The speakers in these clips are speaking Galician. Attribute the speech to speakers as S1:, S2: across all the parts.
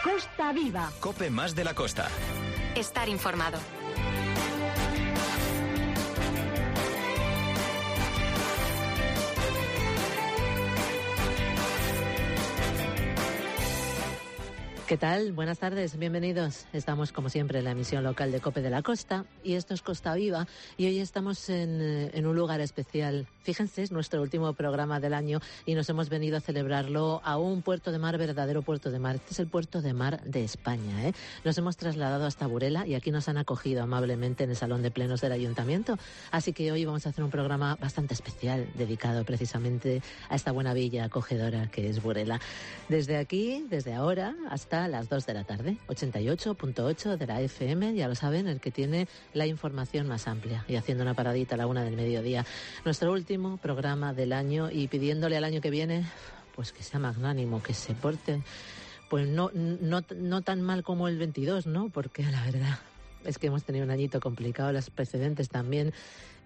S1: Costa Viva.
S2: COPE más de la costa.
S3: Estar informado.
S4: ¿Qué tal? Buenas tardes, bienvenidos. Estamos, como siempre, en la emisión local de COPE de la Costa y esto es Costa Viva y hoy estamos en un lugar especial. Fíjense, es nuestro último programa del año y nos hemos venido a celebrarlo a un puerto de mar, verdadero puerto de mar. Este es el puerto de mar de España, ¿eh? Nos hemos trasladado hasta Burela y aquí nos han acogido amablemente en el Salón de Plenos del Ayuntamiento. Así que hoy vamos a hacer un programa bastante especial dedicado precisamente a esta buena villa acogedora que es Burela. Desde aquí, desde ahora, hasta las 2 de la tarde, 88.8 de la FM, ya lo saben, el que tiene la información más amplia. Y haciendo una paradita a la 1 del mediodía. Nuestro último programa del año y pidiéndole al año que viene, pues que sea magnánimo, que se porte, pues no tan mal como el 22, ¿no? Porque la verdad es que hemos tenido un añito complicado, las precedentes también,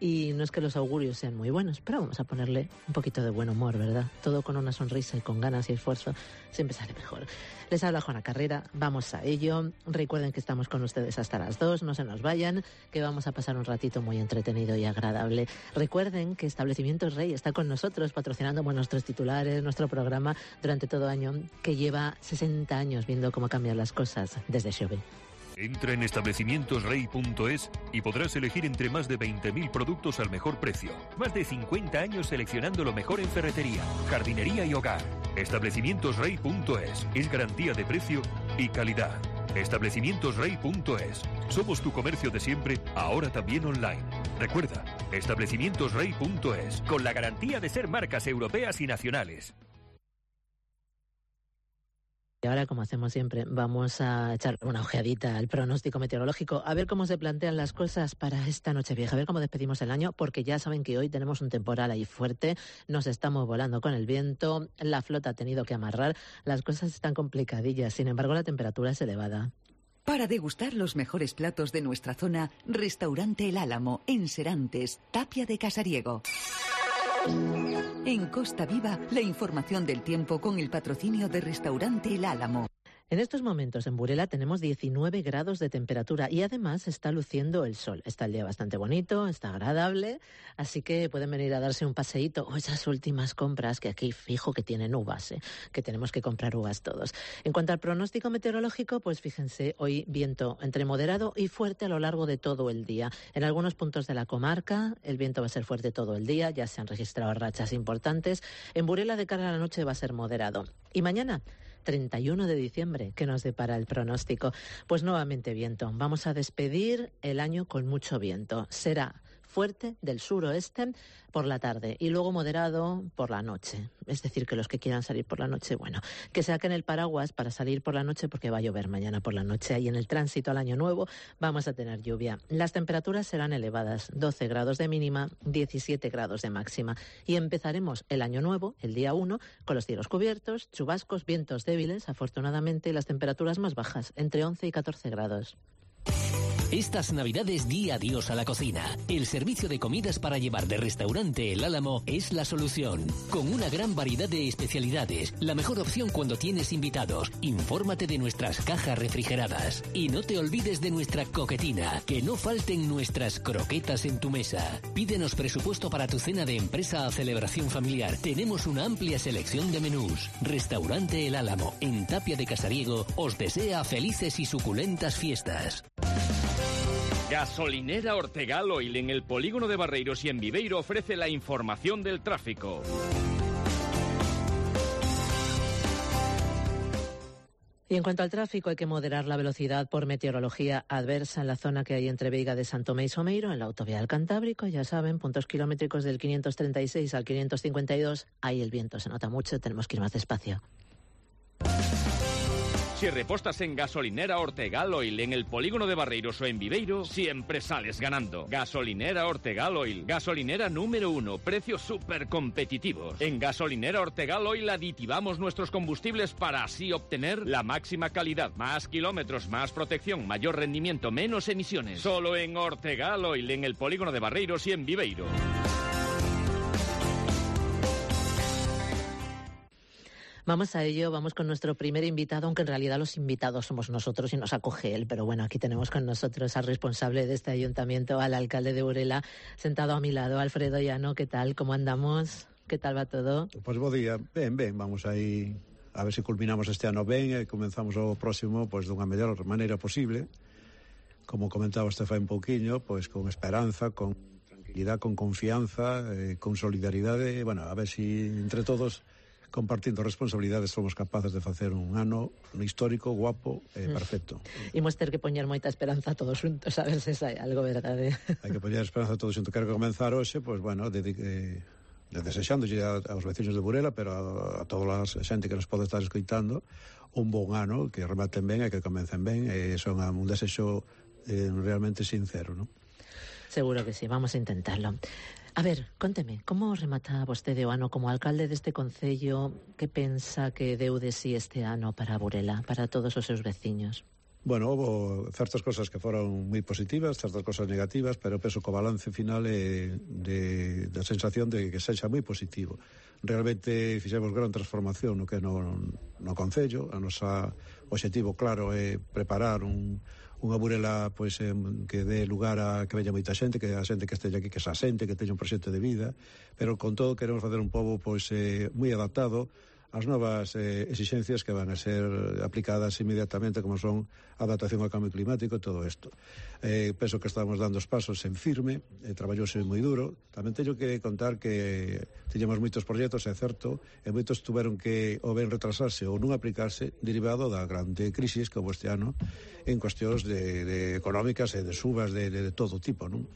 S4: y no es que los augurios sean muy buenos, pero vamos a ponerle un poquito de buen humor, ¿verdad? Todo con una sonrisa y con ganas y esfuerzo siempre sale mejor. Les habla Juana Carrera, vamos a ello. Recuerden que estamos con ustedes hasta las 2, no se nos vayan, que vamos a pasar un ratito muy entretenido y agradable. Recuerden que Establecimientos Rey está con nosotros patrocinando nuestros titulares, nuestro programa durante todo año, que lleva 60 años viendo cómo cambian las cosas desde Xove.
S5: Entra en establecimientosrey.es y podrás elegir entre más de 20.000 productos al mejor precio. Más de 50 años seleccionando lo mejor en ferretería, jardinería y hogar. Establecimientosrey.es es garantía de precio y calidad. Establecimientosrey.es. Somos tu comercio de siempre, ahora también online. Recuerda, establecimientosrey.es, con la garantía de ser marcas europeas y nacionales.
S4: Y ahora, como hacemos siempre, vamos a echar una ojeadita al pronóstico meteorológico, a ver cómo se plantean las cosas para esta Nochevieja, a ver cómo despedimos el año, porque ya saben que hoy tenemos un temporal ahí fuerte, nos estamos volando con el viento, la flota ha tenido que amarrar, las cosas están complicadillas, sin embargo la temperatura es elevada.
S6: Para degustar los mejores platos de nuestra zona, Restaurante El Álamo, en Serantes, Tapia de Casariego. En Costa Viva, la información del tiempo con el patrocinio de Restaurante El Álamo.
S4: En estos momentos en Burela tenemos 19 grados de temperatura y además está luciendo el sol. Está el día bastante bonito, está agradable, así que pueden venir a darse un paseíto o esas últimas compras que aquí fijo que tienen uvas, que tenemos que comprar uvas todos. En cuanto al pronóstico meteorológico, pues fíjense, hoy viento entre moderado y fuerte a lo largo de todo el día. En algunos puntos de la comarca el viento va a ser fuerte todo el día, ya se han registrado rachas importantes. En Burela de cara a la noche va a ser moderado. Y mañana, 31 de diciembre, ¿qué nos depara el pronóstico? Pues nuevamente viento. Vamos a despedir el año con mucho viento. Será fuerte del suroeste por la tarde y luego moderado por la noche. Es decir, que los que quieran salir por la noche, bueno, que saquen el paraguas para salir por la noche porque va a llover mañana por la noche. Y en el tránsito al año nuevo vamos a tener lluvia. Las temperaturas serán elevadas, 12 grados de mínima, 17 grados de máxima. Y empezaremos el año nuevo, el día 1, con los cielos cubiertos, chubascos, vientos débiles, afortunadamente, y las temperaturas más bajas, entre 11 y 14 grados.
S7: Estas Navidades di adiós a la cocina. El servicio de comidas para llevar de Restaurante El Álamo es la solución. Con una gran variedad de especialidades, la mejor opción cuando tienes invitados. Infórmate de nuestras cajas refrigeradas. Y no te olvides de nuestra coquetina, que no falten nuestras croquetas en tu mesa. Pídenos presupuesto para tu cena de empresa o celebración familiar. Tenemos una amplia selección de menús. Restaurante El Álamo, en Tapia de Casariego, os desea felices y suculentas fiestas.
S8: Gasolinera Ortegal Oil en el polígono de Barreiros y en Viveiro ofrece la información del tráfico.
S4: Y en cuanto al tráfico, hay que moderar la velocidad por meteorología adversa en la zona que hay entre Veiga de San Tomé y Someiro, en la autovía del Cantábrico. Ya saben, puntos kilométricos del 536 al 552. Ahí el viento se nota mucho, tenemos que ir más despacio.
S8: Si repostas en Gasolinera Ortegal Oil en el polígono de Barreiros o en Viveiro, siempre sales ganando. Gasolinera Ortegal Oil, gasolinera número 1, precios súper competitivos. En Gasolinera Ortegal Oil aditivamos nuestros combustibles para así obtener la máxima calidad, más kilómetros, más protección, mayor rendimiento, menos emisiones. Solo en Ortegal Oil en el polígono de Barreiros y en Viveiro.
S4: Vamos a ello, vamos con nuestro primer invitado, aunque en realidad los invitados somos nosotros y nos acoge él, pero bueno, aquí tenemos con nosotros al responsable de este ayuntamiento, al alcalde de Burela, sentado a mi lado, Alfredo Llano. ¿Qué tal? ¿Cómo andamos? ¿Qué tal va todo?
S1: Pois bo día, ben, vamos aí a ver se culminamos este ano ben e comenzamos o próximo pois dunha mellor maneira posible, como comentaba este fai un pouquiño, pois con esperanza, con tranquilidade, con confianza, con solidaridade, bueno, a ver se entre todos compartindo responsabilidades somos capaces de facer un ano histórico, guapo e perfecto.
S4: Imos ter que poñer moita esperanza todos xuntos, a ver se sai algo verdade.
S1: Hai que poñer esperanza todos xuntos. Quero comenzar hoxe, pois bueno, desexándolle aos veciños de Burela, pero a toda a xente que nos pode estar escoitando, un bon ano, que rematen ben e que comecen ben, e son un desexo realmente sincero, non?
S4: Seguro que sí, vamos a intentarlo. A ver, conteme, como remata vostede o ano como alcalde deste concello? Que pensa que deu de si este ano para Burela, para todos os seus veciños?
S1: Bueno, houve certas cosas que foron moi positivas, certas cosas negativas, pero penso que o balance final é da sensación de que sexa moi positivo. Realmente fixemos gran transformación no que no concello. A nosa obxectivo claro é preparar unha Burela pois que dé lugar a que veña moita xente, que a xente que esteja aquí que se asente, que teña un proxecto de vida, pero con todo queremos facer un pobo pois moi adaptado as novas exixencias que van a ser aplicadas inmediatamente, como son a adaptación ao cambio climático e todo isto. Penso que estamos dando os pasos en firme, traballouse moi duro. Tamén teño que contar que tiñamos moitos proxectos, é certo, e moitos tuveron que ou ben retrasarse ou non aplicarse derivado da grande crisis que houve este ano en cuestións de económicas e de subas de todo tipo, non?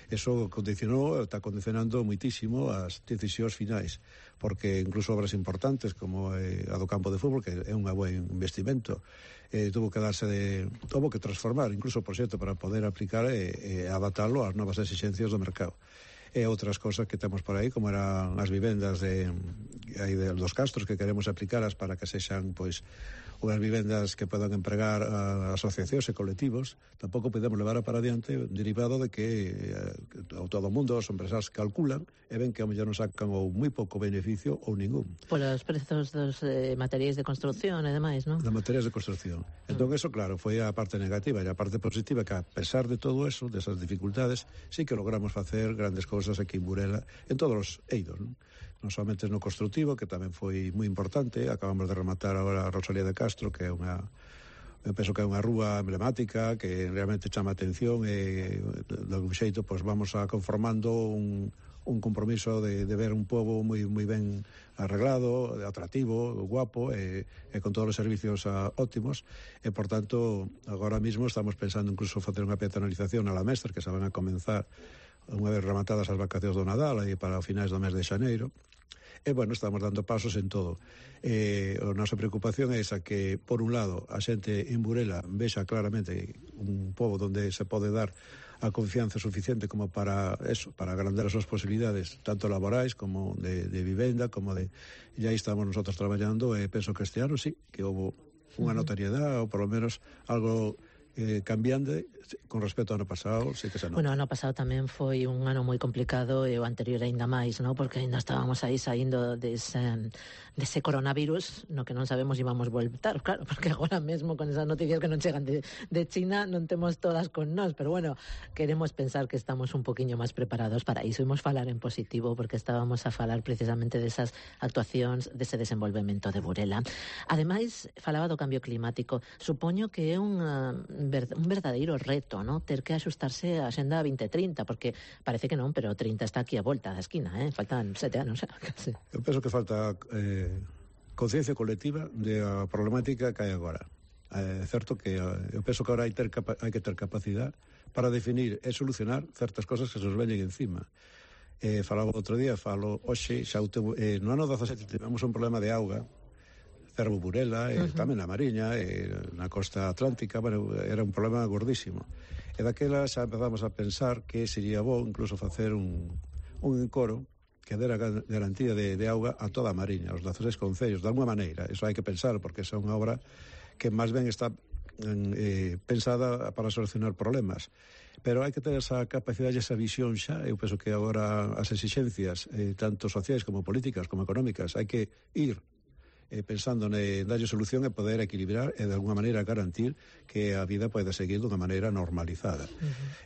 S1: Eso está condicionando moitísimo as decisións finais, porque incluso obras importantes como a do campo de fútbol, que é un buen investimento, tuvo que transformar incluso o proxecto para poder aplicar e adaptarlo ás novas exigencias do mercado. E outras cosas que temos por aí, como eran as vivendas dos castros, que queremos aplicaras para que sexan pois unhas vivendas que podan empregar a asociacións e colectivos. Tampouco podemos levar para adiante derivado de que todo o mundo, os empresarios calculan e ven que ao mellor non sacan ou moi pouco beneficio ou ningún.
S4: Por os prezos dos materiais de construcción e demais, non?
S1: De materiais de construcción. Entón, eso, claro, foi a parte negativa, e a parte positiva, que a pesar de todo eso, desas dificultades, sí que logramos facer grandes cousas aquí en Burela, en todos os eidos, non? Non somente no constructivo, que tamén foi moi importante. Acabamos de rematar agora a Rosalía de Castro, que é eu penso que é unha rúa emblemática que realmente chama a atención, e de algún xeito pois vamos a conformando un compromiso de ver un pobo moi ben arreglado, atractivo, guapo, e con todos os servicios óptimos, e por tanto agora mismo estamos pensando incluso facer unha peatonalización a la Mestre, que se van a comenzar unha vez rematadas as vacacións do Nadal e para finais do mes de xaneiro. E, bueno, estamos dando pasos en todo. A nosa preocupación é esa, que, por un lado, a xente en Burela vexa claramente un pobo onde se pode dar a confianza suficiente como para eso, para agrandar as súas posibilidades, tanto laborais como de vivenda, como de... E aí estamos nosotros traballando, e penso que este ano sí, que houve unha notariedade, ou por lo menos algo cambiande con respecto ao ano pasado, sí que se nota.
S4: Bueno, o ano pasado tamén foi un ano moi complicado, e o anterior aínda máis, ¿no? Porque aínda estábamos aí saindo dese coronavirus, no que non sabemos se íbamos voltar, claro, porque agora mesmo con esas noticias que non chegan de China non temos todas con nós, pero bueno, queremos pensar que estamos un poquinho máis preparados para iso. Imos falar en positivo, porque estábamos a falar precisamente desas actuacións, dese desenvolvemento de Burela. Ademais, falaba do cambio climático. Supoño que é un verdadeiro reto, ¿no? Ter que axustarse a Axenda 2030, porque parece que non, pero 30 está aquí a volta da esquina, faltan 7 anos. Casi.
S1: Eu penso que falta conciencia colectiva de a problemática que hai agora. É certo que eu penso que agora hai que ter capacidade para definir e solucionar certas cosas que se nos veñen encima. Falaba outro día, falo hoxe, no ano 17 tivemos un problema de auga, Cervo Burela, tamén na Mariña, na costa atlántica, bueno, era un problema gordísimo. E daquela xa empezamos a pensar que sería bo incluso facer un encoro que dera garantía de auga a toda a Mariña, aos 16 concellos, de alguma maneira. Eso hai que pensar, porque é unha obra que máis ben está pensada para solucionar problemas. Pero hai que ter esa capacidade e esa visión xa. Eu penso que agora as exixencias, tanto sociais como políticas como económicas, hai que ir pensando en darlle solución e poder equilibrar e de alguna maneira garantir que a vida pode seguir dunha maneira normalizada.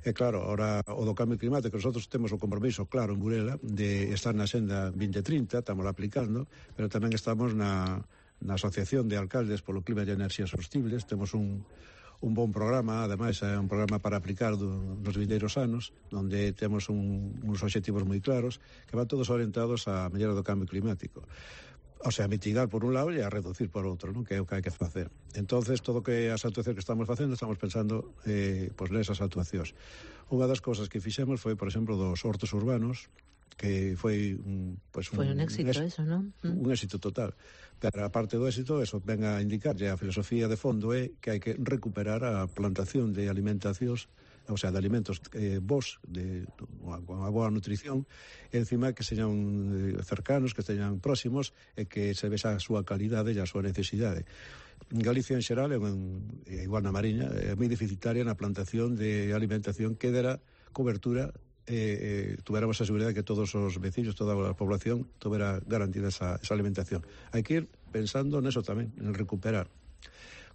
S1: E claro, ahora o do cambio climático, nosotros temos o compromiso claro en Burela de estar na Xenda 2030, estamos aplicando, pero tamén estamos na Asociación de Alcaldes polo Clima e Enerxías Sostibles, temos un bon programa, ademais é un programa para aplicar nos vindeiros anos, onde temos uns obxectivos moi claros que van todos orientados á mellora do cambio climático. O sea, a mitigar por un lado e a reducir por outro, non? Que é o que hai que facer. Entonces, todo que as actuacións que estamos facendo, estamos pensando nesas actuacións. Unha das cousas que fixemos foi, por exemplo, dos hortos urbanos, que foi un
S4: éxito eso, non?
S1: Un éxito total. Pero a parte do éxito, eso ven a indicar, a filosofía de fondo é que hai que recuperar a plantación de alimentacións, o sea, de alimentos bons, con a boa nutrición, e encima que señan cercanos, que señan próximos, e que se vexa a súa calidade e a súa necesidade. En Galicia, en xeral, igual na Mariña, é moi deficitaria na plantación de alimentación que dera cobertura tuveramos a seguridade que todos os veciños, toda a población tuvera garantida esa alimentación. Hai que ir pensando neso tamén, en recuperar.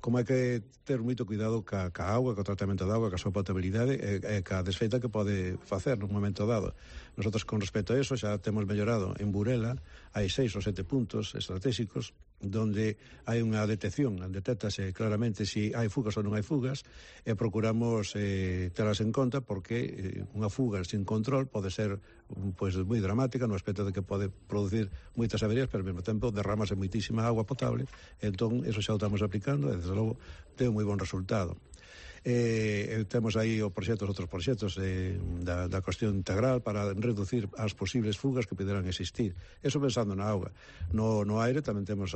S1: Como hai que ter moito cuidado ca auga, co tratamento da auga, ca súa potabilidade e ca desfeita que pode facer nun momento dado. Nosotros, con respecto a eso, xa temos mellorado en Burela, hai 6 ou 7 puntos estratégicos donde hai unha detección, detéctase claramente se hai fugas ou non hai fugas, e procuramos telas en conta porque unha fuga sin control pode ser moi dramática no aspecto de que pode producir moitas averías, pero ao mesmo tempo derramase moitísima agua potable. Entón, eso xa o estamos aplicando e, desde logo, ten un moi bon resultado. Temos aí outros proxectos da cuestión integral para reducir as posibles fugas que poderán existir. Eso pensando na auga. No aire tamén estamos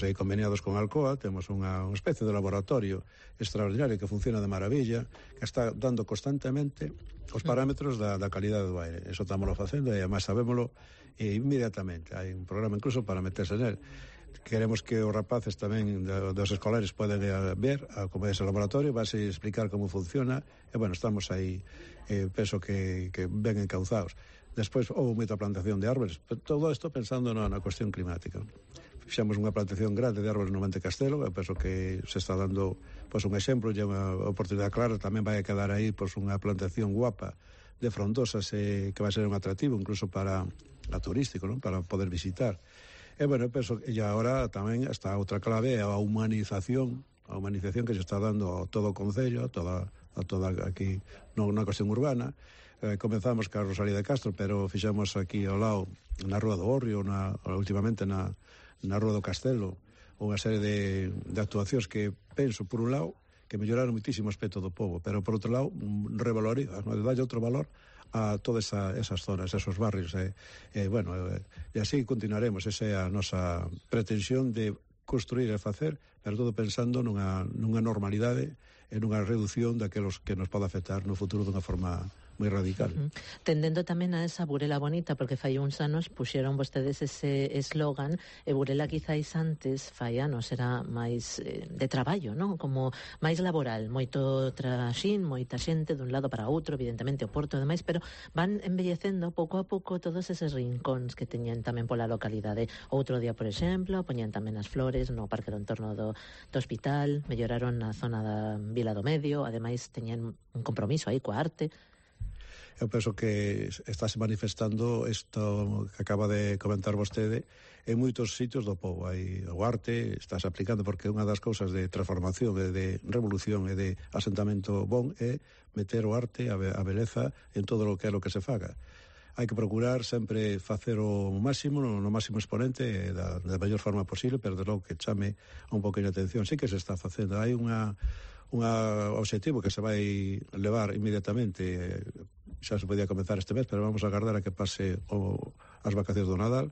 S1: aí conveniados con Alcoa, temos unha especie de laboratorio extraordinario que funciona de maravilla, que está dando constantemente os parámetros da calidade do aire. Eso estamos facendo e además sabémolo inmediatamente. Hai un programa incluso para meterse nel. Queremos que os rapaces tamén dos escolares poden ver como é ese laboratorio, vais a explicar como funciona e, bueno, estamos aí, penso que ben encauzados. Despois houve moita plantación de árbores, todo isto pensando na cuestión climática. Fixamos unha plantación grande de árbores no Monte Castelo, eu penso que se está dando un exemplo e unha oportunidade clara. Tamén vai a quedar aí unha plantación guapa de frondosas que vai ser un atractivo incluso para turístico, non? Para poder visitar. E, bueno, penso que agora tamén está outra clave, a humanización que se está dando a todo o concello, a toda aquí na cuestión urbana. Comenzamos ca Rosalía de Castro, pero fixemos aquí ao lado, na Rúa do Orrio, últimamente na Rúa do Castelo, unha serie de actuacións que penso, por un lado, que melloraron muitísimo o aspecto do pobo, pero por outro lado, revaloriza, dalle outro valor a todas esas zonas, esos barrios. Bueno, e así continuaremos. Esa é a nosa pretensión de construir e facer, pero todo pensando nunha normalidade e nunha reducción daquelos que nos pode afectar no futuro dunha forma moi radical.
S4: Tendendo tamén a esa Burela bonita, porque fai uns anos puxeron vostedes ese eslogan, e Burela quizáis antes, fai anos, era máis de traballo, non? Como máis laboral, moito traxín, moita xente dun lado para outro, evidentemente o porto e demais, pero van embellecendo pouco a pouco todos eses rincóns que teñen tamén pola localidade. Outro día, por exemplo, poñían tamén as flores no parque do entorno do hospital, melloraron na zona da Vila do Medio, ademais teñen un compromiso aí coa arte.
S1: Eu penso que estáse manifestando isto que acaba de comentar vostede en moitos sitios do povo. Hai o arte, estáse aplicando, porque unha das cousas de transformación e de revolución e de asentamento bon é meter o arte, a beleza en todo o que é o que se faga. Hai que procurar sempre facer o máximo, no máximo exponente da mellor forma posible, pero de logo que chame un pouquinho de atención. Sí que se está facendo. Hai un objetivo que se vai levar inmediatamente, xa se podía comenzar este mes, pero vamos a agardar a que pase as vacacións do Nadal,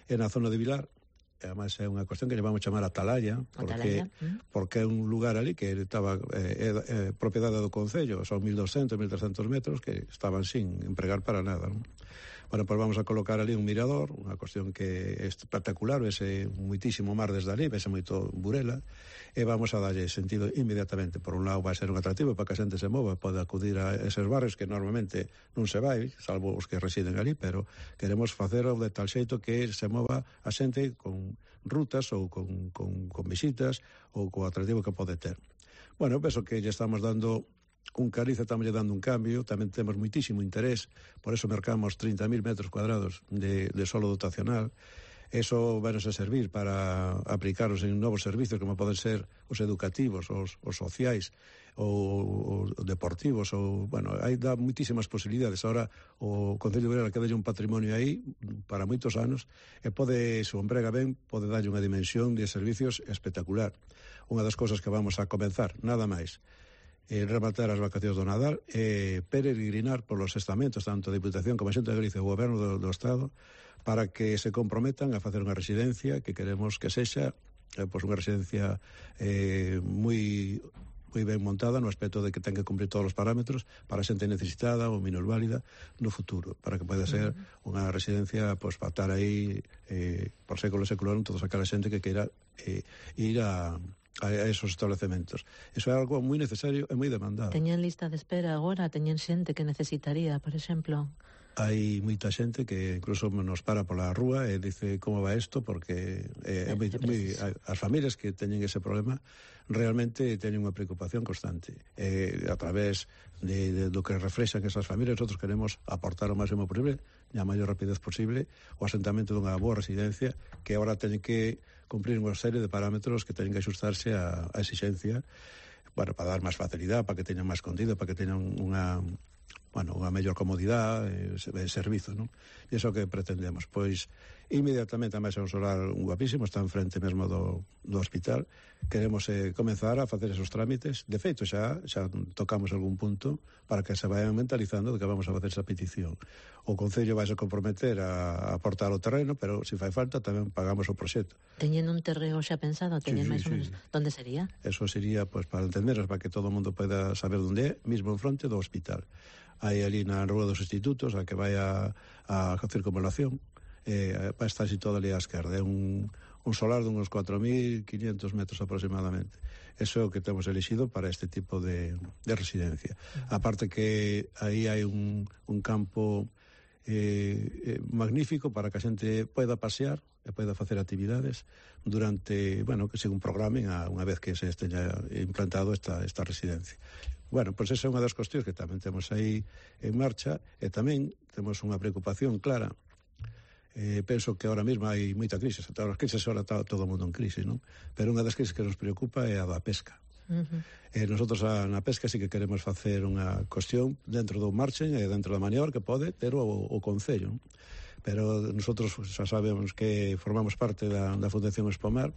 S1: e na zona de Vilar. Ademais é unha cuestión que lle vamos chamar Atalaya, porque é un lugar ali que estaba propiedade do Concello, son 1.200, 1.300 metros que estaban sin empregar para nada, non? Bueno, pois vamos a colocar ali un mirador, unha cuestión que é espectacular, vese muitísimo mar desde ali, vese moito Burela, e vamos a darlle sentido inmediatamente. Por un lado vai ser un atractivo para que a xente se mova, pode acudir a eses barrios que normalmente non se vai, salvo os que residen ali, pero queremos facelo de tal xeito que se mova a xente con rutas ou con visitas ou co atractivo que pode ter. Bueno, penso que lle estamos dando un cariz, estamos dando un cambio, tamén temos moitísimo interés, por eso mercamos 30.000 metros cuadrados de solo dotacional. Eso vai a servir para aplicaros en novos servicios como poden ser os educativos, os sociais ou deportivos, ou, bueno, aí dá moitísimas posibilidades. Ahora o Concello de Burela queda un patrimonio aí para moitos anos e pode, se o emprega ben, pode darlle unha dimensión de servicios espectacular. Unha das cousas que vamos a comenzar, nada máis, rematar as vacacións do Nadal e peregrinar polos estamentos, tanto a Diputación como a Xunta de Galicia e o Goberno do Estado, para que se comprometan a facer unha residencia que queremos que sexa pois unha residencia moi ben montada no aspecto de que ten que cumprir todos os parámetros para a xente necesitada ou minusválida no futuro, para que poida ser unha residencia pois para estar aí por século e século todos aquela xente que queira ir a esos establecementos. Eso é algo moi necesario e moi demandado.
S4: Teñen lista de espera agora? Teñen xente que necesitaría, por exemplo?
S1: Hai moita xente que incluso nos para pola rúa e dice como va isto, porque as familias que teñen ese problema realmente teñen unha preocupación constante. A través do que reflexan esas familias, nosotros queremos aportar o máximo posible e a maior rapidez posible o asentamento dunha boa residencia que agora teñen que cumprir unha serie de parámetros que teñen que axustarse a exixencia, bueno, para dar máis facilidade, para que teñan máis contido, para que teñan unha mellor comodidade de servizo, non? E iso que pretendemos. Pois, inmediatamente, a máis é un solar guapísimo, está enfrente mesmo do hospital. Queremos comenzar a facer esos trámites. De feito, xa tocamos algún punto para que se vayan mentalizando de que vamos a facer esa petición. O Concello vai se comprometer a aportar o terreno, pero se fai falta tamén pagamos o proxecto.
S4: Teñen un terreo xa pensado? Teñen máis ou menos? Onde sería?
S1: Eso sería, pois, para entenderos, para que todo o mundo poida saber onde é, mismo en fronte do hospital. Hai ali na Rúa dos Institutos a que vai a circunvalación, vai estar situado ali á esquerda. É un solar de uns 4.500 metros aproximadamente. Eso é o que temos elixido para este tipo de residencia. Aparte que aí hai un campo magnífico para que a xente poida pasear e poida facer actividades durante, que según programen unha vez que se esteña implantado esta residencia. Bueno, pois esa é unha das cuestións que tamén temos aí en marcha e tamén temos unha preocupación clara. Penso que ahora mesmo hai moita crise, todas as crises ahora está todo o mundo en crise, non? Pero unha das crises que nos preocupa é a da pesca. Nosotros na pesca sí que queremos facer unha cuestión dentro do margen e dentro da maniobra que pode ter o Concello, non? Pero nosotros xa sabemos que formamos parte da Fundación Espomar.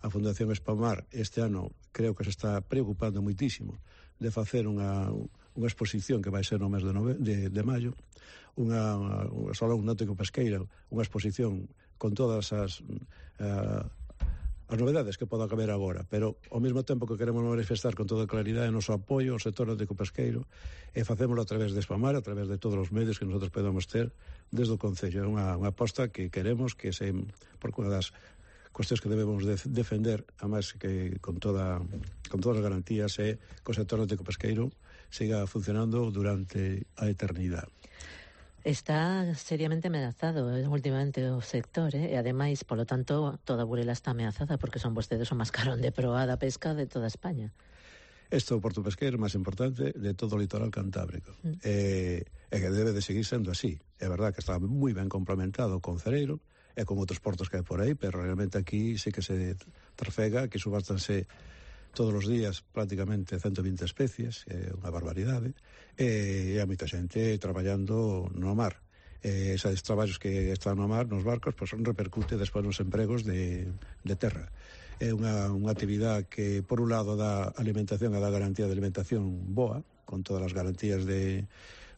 S1: A Fundación Espomar este ano creo que se está preocupando moitísimo de facer unha exposición que vai ser no mes de maio, unha salón náutico pesqueira, unha exposición con todas as novedades que poda caber agora, pero ao mesmo tempo que queremos manifestar con toda claridade o noso apoio ao sector náutico pesqueiro e facémolo a través de Espomar, a través de todos os medios que nosotros podamos ter desde o Concello. É unha aposta que queremos que se, por unha das cuestións que debemos defender, a máis que con todas as garantías, é que o sector náutico pesqueiro siga funcionando durante a eternidade.
S4: Está seriamente amenazado últimamente o sector, e ademais, polo tanto, toda Burela está amenazada porque son vostedes o mascarón de proa da pesca de toda España.
S1: Este é o porto pesqueiro máis importante de todo o litoral cantábrico. E que debe de seguir sendo así. É verdad que está moi ben complementado con Cereiro e con outros portos que hai por aí, pero realmente aquí sí que se trafega, que subástanse todos os días prácticamente 120 especies, é unha barbaridade, e hai moita xente traballando no mar. Esos traballos que están no mar, nos barcos, pois repercute despois nos empregos de terra. É unha actividade que, por un lado, dá alimentación e dá garantía de alimentación boa, con todas as garantías de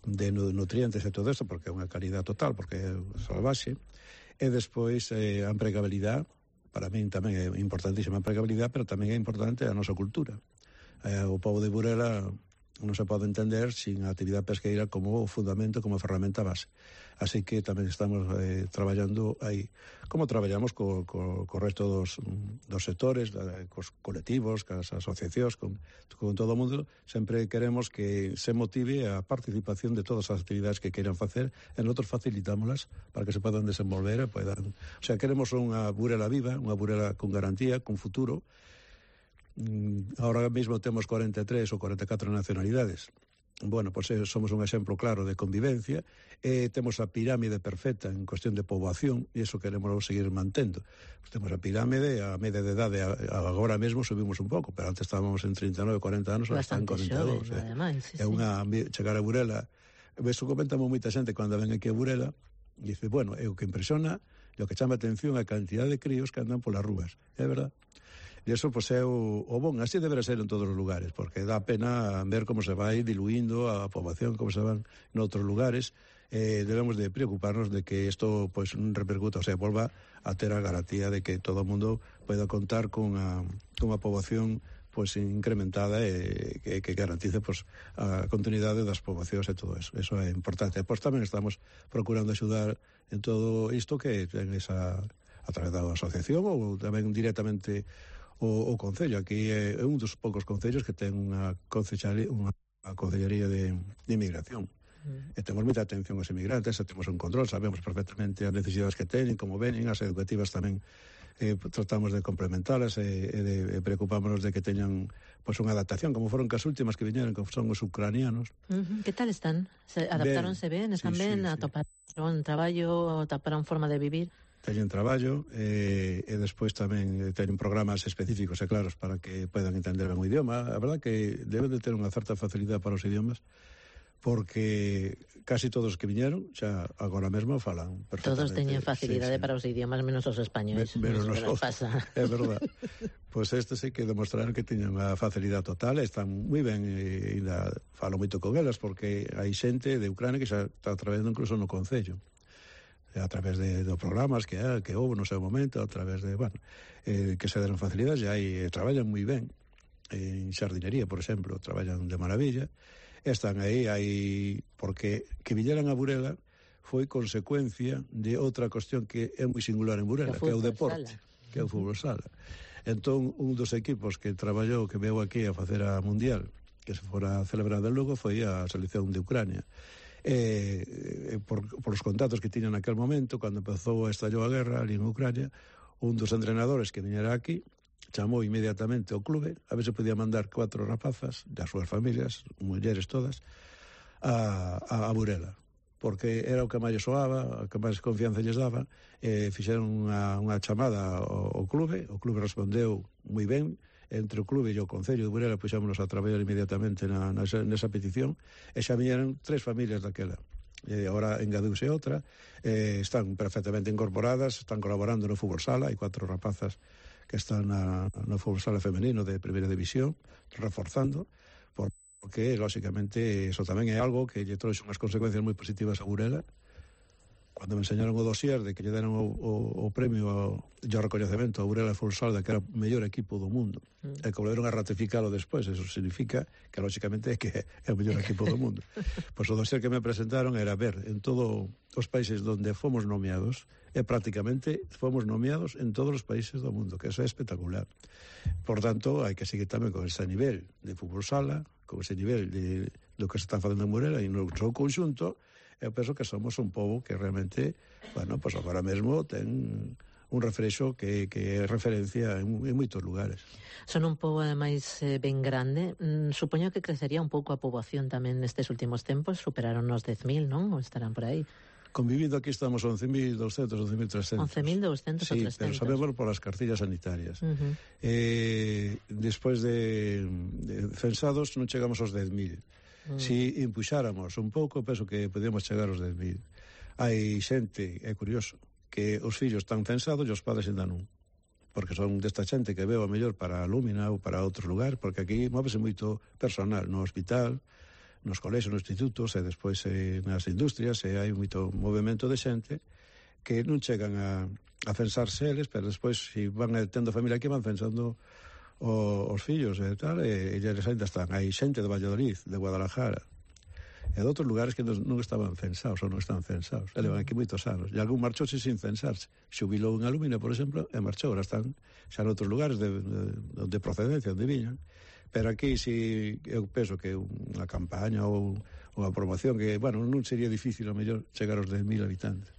S1: nutrientes e todo isto, porque é unha calidad total, porque é salvaxe. E despois a empregabilidade, para min tamén é importantísima a empregabilidade, pero tamén é importante a nosa cultura. O pobo de Burela non se pode entender sin a actividade pesqueira como o fundamento, como a ferramenta base. Así que tamén estamos traballando aí. Como traballamos co resto dos sectores, cos colectivos, cas asociacións, con todo o mundo, sempre queremos que se motive a participación de todas as actividades que queiran facer e nosotros facilitámolas para que se podan desenvolver e podan... O sea, queremos unha Burela viva, unha Burela con garantía, con futuro. Ahora mesmo temos 43 ou 44 nacionalidades. Bueno, pois somos un exemplo claro de convivencia, temos a pirámide perfecta en cuestión de poboación, e iso queremos seguir mantendo. Pues temos a pirámide, a media de idade agora mesmo subimos un pouco, pero antes estábamos en 39, 40 anos, ahora están en 42. É unha chegar a Burela, eso comentamos moita xente cando ven aquí a Burela, e dice, bueno, é o que impresiona, e o que chama atención a cantidad de críos que andan polas rúas, é verdad? E iso, pois, é o bon. Así deberá ser en todos os lugares, porque dá pena ver como se vai diluindo a poboación, como se van noutros lugares. Debemos de preocuparnos de que isto, pois, repercuta, o sea, volva a ter a garantía de que todo o mundo poida contar con a poboación pois incrementada e que garantice pois a continuidade das poboacións e todo eso. Eso é importante. E pois tamén estamos procurando axudar en todo isto que ten esa a través da asociación ou tamén directamente o Concello. Aquí é un dos poucos concellos que ten unha concellería de inmigración. E temos moita atención aos inmigrantes, temos un control, sabemos perfectamente as necesidades que teñen, como venen, as educativas tamén tratamos de complementalas e preocupámonos de que teñan pois unha adaptación, como foron as últimas que viñeron, que son os ucranianos.
S4: Que tal están? Adaptáronse ben? Están ben? Atoparon traballo? Atoparon forma de vivir?
S1: Teñen traballo e despois tamén teñen programas específicos e claros para que podan entender ben o idioma. A verdad que deben de ter unha certa facilidade para os idiomas, porque casi todos os que viñeron xa agora mesmo falan perfectamente.
S4: Todos teñen facilidade para os idiomas, menos os españoles.
S1: Menos nos pasa. É verdad. Pois este sí que demostraron que teñen unha facilidade total, están moi ben e falo moito con elas, porque hai xente de Ucrania que xa está traballando incluso no Concello, a través de programas que houve no seu momento, a través de, bueno, que se deron facilidades, e traballan moi ben. En xardinería, por exemplo, traballan de maravilla. Están aí, porque que viñeran a Burela foi consecuencia de outra cuestión que é moi singular en Burela, que é o deporte, que é o fútbol sala. Entón, un dos equipos que traballou, que veio aquí a facer a Mundial, que se fora celebrada en Lugo, foi a selección de Ucrania. Por os contactos que tiñan naquel momento, cando empezou a estallou a guerra ali en Ucrania, un dos entrenadores que viñera aquí chamou inmediatamente ao clube a ver se podía mandar 4 rapazas das súas familias, mulleres todas, a Burela, porque era o que máis soaba, o que máis confianza lles daba. Fixeron unha chamada ao clube, o clube respondeu moi ben. Entre o clube e o Concello de Burela puxámonos a traballar inmediatamente nesa petición, e xa viñeron 3 familias daquela. Agora engadiuse outra, están perfectamente incorporadas, están colaborando no fútbol sala, hai 4 rapazas que están no fútbol sala femenino de primeira división, reforzando, porque, lóxicamente, eso tamén é algo que lle trouxe unhas consecuencias moi positivas a Burela. Cando me enseñaron o dossier de que lle deron o premio e o recoñecemento a Burela Fútbol Sala, que era o mellor equipo do mundo, e que volveron a ratificalo despois, eso significa que, lóxicamente, é que é o mellor equipo do mundo. Pois o dossier que me presentaron era ver en todos os países onde fomos nomeados, e prácticamente fomos nomeados en todos os países do mundo, que eso é espectacular. Por tanto, hai que seguir tamén con ese nivel de fútbol sala, con ese nivel do que se está facendo en Burela, e no seu conxunto. Eu penso que somos un pobo que realmente, bueno, pois agora mesmo ten un refrexo que é referencia en moitos lugares.
S4: Son un pobo, ademais, ben grande. Supoño que crecería un pouco a poboación tamén nestes últimos tempos. Superaron os 10.000, non? Ou estarán por aí?
S1: Convivindo aquí estamos 11.200, 11.300.
S4: 11.200
S1: sí,
S4: ou 300.
S1: Pero sabemos por as cartillas sanitarias. Despois de censados non chegamos aos 10.000. Si impuxáramos un pouco, penso que podíamos chegar aos 10.000. Hai xente, é curioso, que os fillos están censados e os padres ainda non, porque son desta xente que veo a mellor para a Lúmina ou para outros lugares, porque aquí móvese moito personal no hospital, nos colexios, nos institutos e despois nas industrias, e hai moito movimento de xente que non chegan a censarse eles, pero despois, se van tendo familia aquí, van censando os fillos e tal, e eles ainda están. Hai xente de Valladolid, de Guadalajara, e de outros lugares que non estaban censados ou non están censados. E levan aquí moitos anos. E algún marchouse sin censarse. Xubilou en Alumina, por exemplo, e marchou. Ahora están xa en outros lugares de procedencia, onde viñan. Pero aquí si eu penso que unha campaña ou unha promoción que, bueno, non sería difícil a mellor chegar aos 10.000 habitantes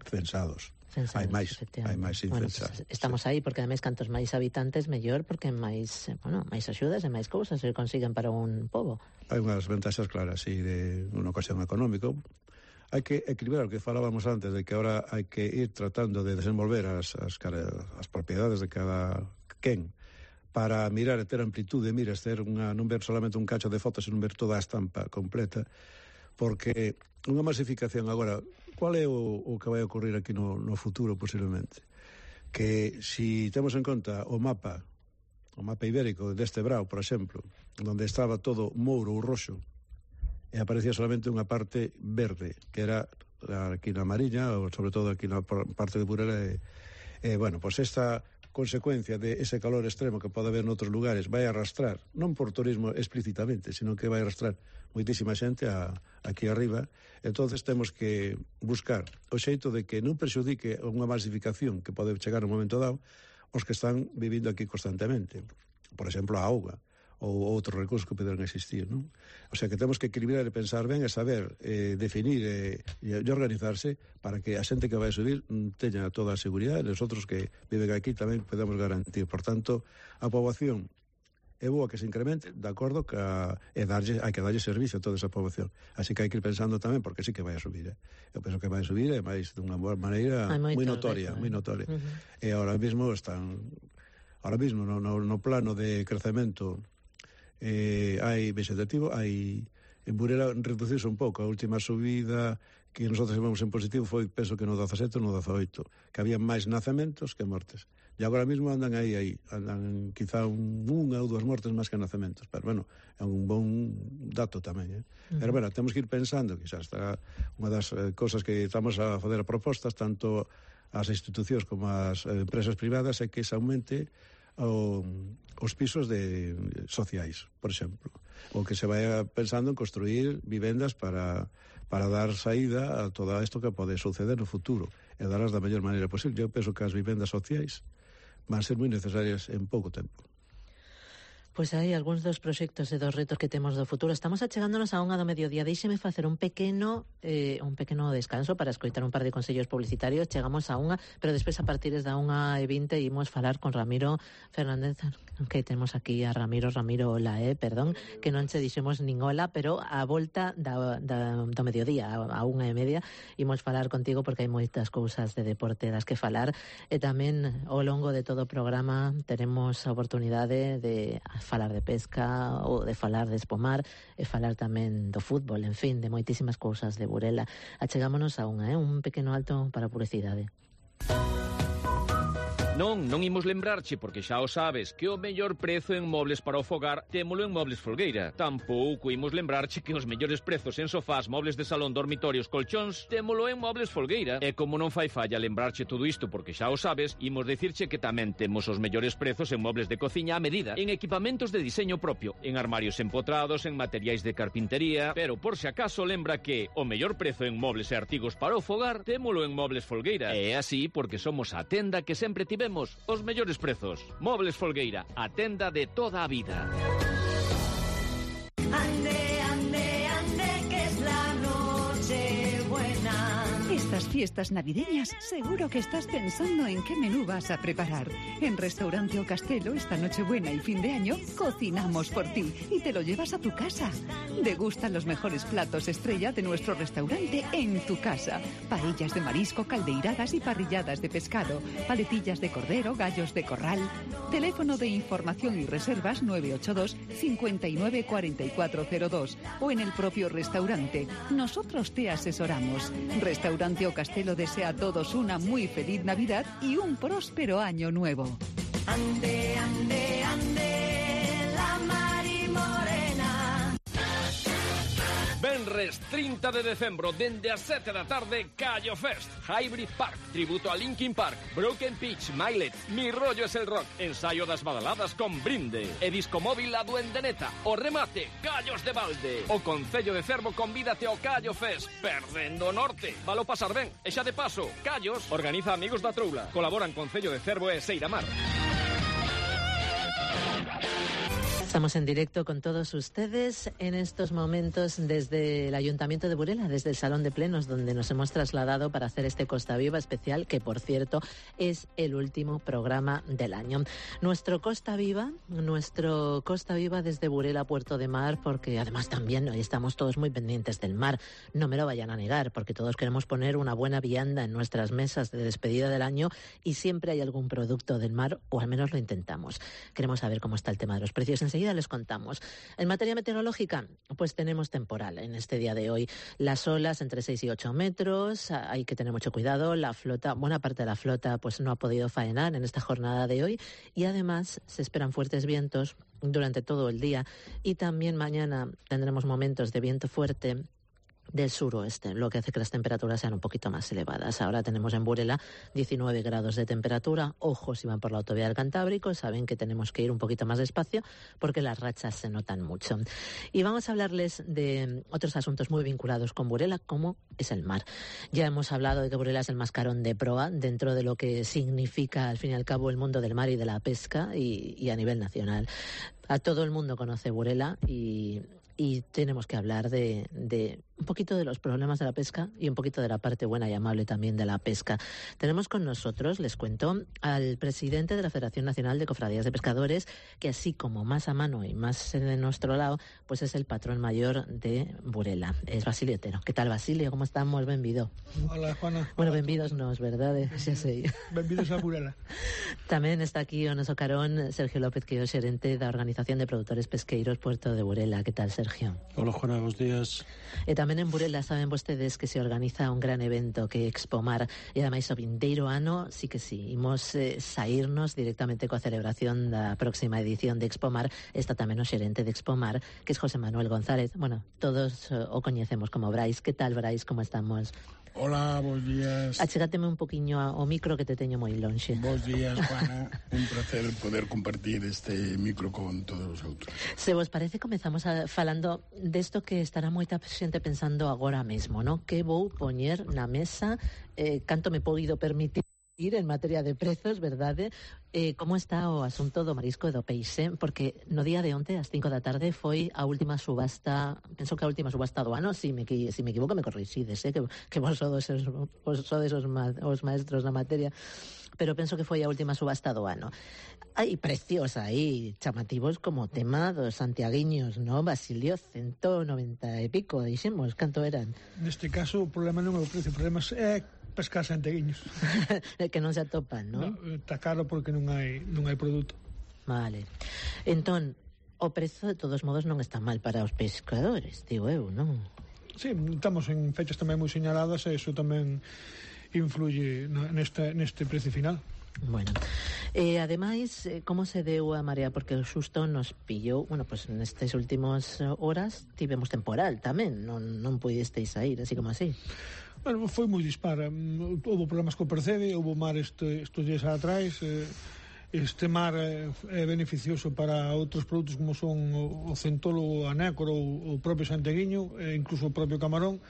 S1: censados. Hai máis sin censar.
S4: Pues estamos aí, porque ademais cantos máis habitantes mellor, porque máis axudas e máis cousas se consiguen para un pobo.
S1: Hai unhas ventaxas claras, sí, de unha ocasión económico. Hai que equilibrar o que falábamos antes, de que ahora hai que ir tratando de desenvolver as propiedades de cada quen, para mirar e ter amplitude, non ver solamente un cacho de fotos, senón ver toda a estampa completa, porque unha masificación agora, qual é o que vai ocurrir aquí no futuro posiblemente? Que si temos en conta o mapa ibérico deste Brao, por exemplo, onde estaba todo mouro ou roxo, e aparecía solamente unha parte verde, que era aquí na Mariña, ou sobre todo aquí na parte de Burela, bueno, pois esta consecuencia de ese calor extremo que pode haber noutros lugares vai arrastrar, non por turismo explícitamente, sino que vai arrastrar moitísima xente aquí arriba. Entonces temos que buscar o xeito de que non prexudique unha masificación que pode chegar un momento dado os que están vivindo aquí constantemente, por exemplo a auga ou outros recursos que poderán existir, non? O sea que temos que equilibrar e pensar ben e saber definir e organizarse para que a xente que vai subir teña toda a seguridade e os outros que viven aquí tamén podemos garantir. Por tanto, a poboación é boa que se incremente, de acordo, hai que darlle servicio a toda esa poboación. Así que hai que ir pensando tamén, porque sí que vai a subir. Eu penso que vai a subir e máis dunha maneira moi notoria. E ahora mismo no plano de crecemento hai vegetativo, en Burela reduciuse un pouco. A última subida que nosotros vemos en positivo foi, penso que no 17 ou no 18, que había máis nacementos que mortes. E agora mesmo andan andan quizá unha ou dúas mortes máis que nacementos, pero bueno, é un bon dato tamén, Pero bueno, temos que ir pensando, que xa está unha das cosas que estamos a fazer a propostas, tanto as institucións como as empresas privadas, é que se aumente os pisos sociais, por exemplo, ou que se vaya pensando en construir vivendas para dar saída a todo isto que pode suceder no futuro e darlas da mellor maneira posible. Eu penso que as vivendas sociais van ser moi necesarias en pouco tempo.
S4: Pois hai algúns dos proxectos e dos retos que temos do futuro. Estamos achegándonos a unha do mediodía. Deixeme facer un pequeno descanso para escoitar un par de consellos publicitarios. Chegamos a unha, pero despois a partir da 1:20 imos falar con Ramiro Fernández, que temos aquí a Ramiro, hola, perdón, que non che dixemos nin hola, pero a volta do mediodía, a 1:30, imos falar contigo porque hai moitas cousas de deporte das que falar, e tamén ao longo de todo o programa teremos a oportunidade de falar de pesca ou de falar de espomar e falar tamén do fútbol, en fin, de moitísimas cousas de Burela. Achegámonos a un pequeno alto para a publicidade.
S8: Non imos lembrarche, porque xa o sabes, que o mellor prezo en mobles para o fogar témolo en Mobles Folgueira. Tampouco imos lembrarche que os mellores prezos en sofás, mobles de salón, dormitorios, colchóns, témolo en Mobles Folgueira. E como non fai falla lembrarche todo isto, porque xa o sabes, imos dicirche que tamén temos os mellores prezos en mobles de cociña a medida, en equipamentos de diseño propio, en armarios empotrados, en materiais de carpintería, pero por si acaso lembra que o mellor prezo en mobles e artigos para o fogar témolo en Mobles Folgueira. E é así porque somos a tenda que sempre tivemos os mellores prezos. Mobles Folgueira, a tenda de toda a vida.
S2: Ande, que es la noche buena.
S6: Estas fiestas navideñas seguro que estás pensando en qué menú vas a preparar. En Restaurante O Castelo, esta Nochebuena y fin de año, cocinamos por ti y te lo llevas a tu casa. Degustan los mejores platos estrella de nuestro restaurante en tu casa. Paellas de marisco, caldeiradas y parrilladas de pescado, paletillas de cordero, gallos de corral. Teléfono de información y reservas 982 59 4402 o en el propio restaurante. Nosotros te asesoramos. Restaurante O Castelo desea a todos una muy feliz Navidad y un próspero año nuevo.
S2: Ande, la Mari Morena.
S8: Ben Venres 30 de decembro, dende as 7 da tarde, Callo Fest, Hybrid Park, tributo a Linkin Park, Broken Pitch, Milet, Mi rollo es el rock, ensayo das badaladas con brinde, e disco móvil a Duendeneta, o remate, Callos de Balde. O Concello de Cervo convídate ao Callo Fest, perdendo o norte. Valo pasar ben, e xa de paso, Callos organiza Amigos da Troula, colaboran Concello de Cervo e Seiramar.
S4: Estamos en directo con todos ustedes en estos momentos desde el Ayuntamiento de Burela, desde el Salón de Plenos, donde nos hemos trasladado para hacer este Costa Viva especial, que por cierto es el último programa del año. Nuestro Costa Viva desde Burela, Puerto de Mar, porque además también hoy estamos todos muy pendientes del mar. No me lo vayan a negar, porque todos queremos poner una buena vianda en nuestras mesas de despedida del año y siempre hay algún producto del mar, o al menos lo intentamos. Queremos saber cómo está el tema de los precios. Enseguida les contamos. En materia meteorológica, pues tenemos temporal en este día de hoy. Las olas entre 6 y 8 metros, hay que tener mucho cuidado. La flota, buena parte de la flota, pues no ha podido faenar en esta jornada de hoy y además se esperan fuertes vientos durante todo el día y también mañana tendremos momentos de viento fuerte del suroeste, lo que hace que las temperaturas sean un poquito más elevadas. Ahora tenemos en Burela 19 grados de temperatura. Ojo, si van por la autovía del Cantábrico, saben que tenemos que ir un poquito más despacio porque las rachas se notan mucho. Y vamos a hablarles de otros asuntos muy vinculados con Burela, como es el mar. Ya hemos hablado de que Burela es el mascarón de proa dentro de lo que significa, al fin y al cabo, el mundo del mar y de la pesca y a nivel nacional. A todo el mundo conoce Burela y tenemos que hablar de un poquito de los problemas de la pesca y un poquito de la parte buena y amable también de la pesca. Tenemos con nosotros, les cuento, al presidente de la Federación Nacional de Cofradías de Pescadores, que así como más a mano y más de nuestro lado, pues es el patrón mayor de Burela. Es Basilio Otero. ¿Qué tal, Basilio? ¿Cómo estamos? Benvido.
S9: Hola, Juana.
S4: Bueno, benvidos nos, verdade? Xa sei.
S9: Benvidos a Burela.
S4: Tamén está aquí o noso carón Sergio López, que é o xerente da Organización de Produtores Pesqueiros Puerto de Burela. ¿Qué tal, Sergio?
S10: Hola, Juana, buenos días.
S4: E tamén en Burela saben vostedes que se organiza un gran evento que é Expomar, e ademais o vindeiro ano sí que sí, imos saírnos directamente coa celebración da próxima edición de Expomar. Está tamén o xerente de Expomar, que é José Manuel González. Bueno, todos o coñecemos como Brais. Que tal, Brais? Como estamos?
S10: Hola, bons días.
S4: Achégate un poquinho ao micro que te teño moi lonxe.
S10: Bons días, Juana. Un placer poder compartir este micro con todos os outros.
S4: Se vos parece, comezamos falando desto que estará moita xente pensando agora mesmo, ¿no? Que vou poñer na mesa, canto me poido permitir en materia de prezos, verdade? Como está o asunto do marisco e do peixe? Porque no día de onte, ás 5 da tarde, foi a última subasta, penso que a última subasta do ano, si me equivoco me corrixides, que vos sodes os maestros na materia, pero penso que foi a última subasta do ano. Hai precios aí chamativos como o tema dos santiaguiños, ¿no? Basilio, 190 e pico, dixemos, canto eran?
S9: Neste caso, o problema non é o precio, o problema é pescar santiaguiños.
S4: Que non se atopan, ¿no?
S9: Está caro porque non hai produto.
S4: Vale. Entón, o prezo de todos modos non está mal para os pescadores, digo eu, non?
S9: Sí, estamos en fechas tamén moi señaladas e iso tamén influye neste precio final.
S4: Bueno, ademais, como se deu a marea? Porque o xusto nos pillou, bueno, pues nestes últimos horas tivemos temporal tamén, non puidesteis sair, así como así.
S9: Bueno, foi moi dispar. Houve problemas co percebe, houve mar estes días atrás. Este mar é beneficioso para outros produtos como son o centolo, o anécoro, o propio santiaguiño, e incluso o propio camarón.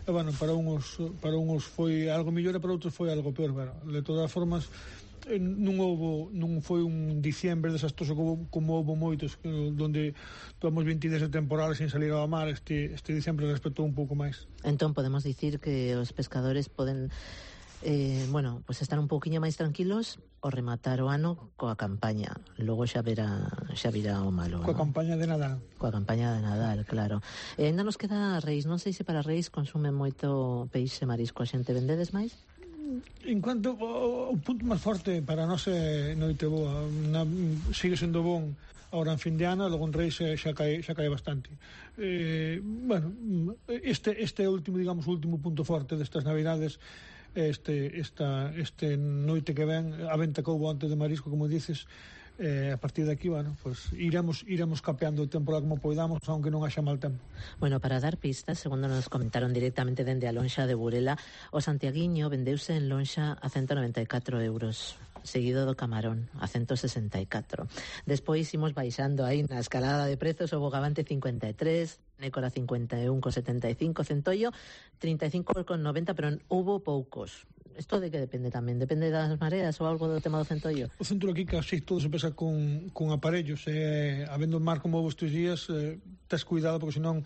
S9: E, bueno, para uns foi algo mellor e para outros foi algo peor. Bueno, de todas as formas, non foi un diciembre desastroso como houve moitos, donde tomamos 20 días de temporales sin salir ao mar. Este diciembre respetou un pouco máis.
S4: Entón podemos dicir que os pescadores poden bueno, pues estar un pouquiño máis tranquilos o rematar o ano coa campaña. Logo xa virá o malo,
S9: coa, ¿no? Campaña de Nadal.
S4: Coa campaña de Nadal, claro. Ainda nos queda Reis. Non sei se para Reis consumen moito peixe marisco. A xente vendedes máis?
S9: En cuanto o punto máis forte para nós é Noite Boa. Sigue sendo bon ahora en fin de ano, logo en Reis xa cae bastante. Bueno, este último, digamos, o último punto forte destas Navidades, este noite que ven, a venta que houve antes de marisco, como dices, a partir de aquí, bueno, pues iremos capeando o tempo como poidamos, aunque non haxa mal tempo.
S4: Bueno, para dar pistas, segundo nos comentaron directamente dende a lonxa de Burela, o santiaguiño vendeuse en lonxa a 194 euros, seguido do camarón a 164. Despois imos baixando aí na escalada de prezos, o bogavante 53, nécora 51,75, centollo 35,90, pero hubo poucos. Isto de que depende tamén? Depende das mareas ou algo do tema do centollo?
S9: O centro aquí casi todo se pesa con aparellos, habendo mar como estes días, tes cuidado porque senón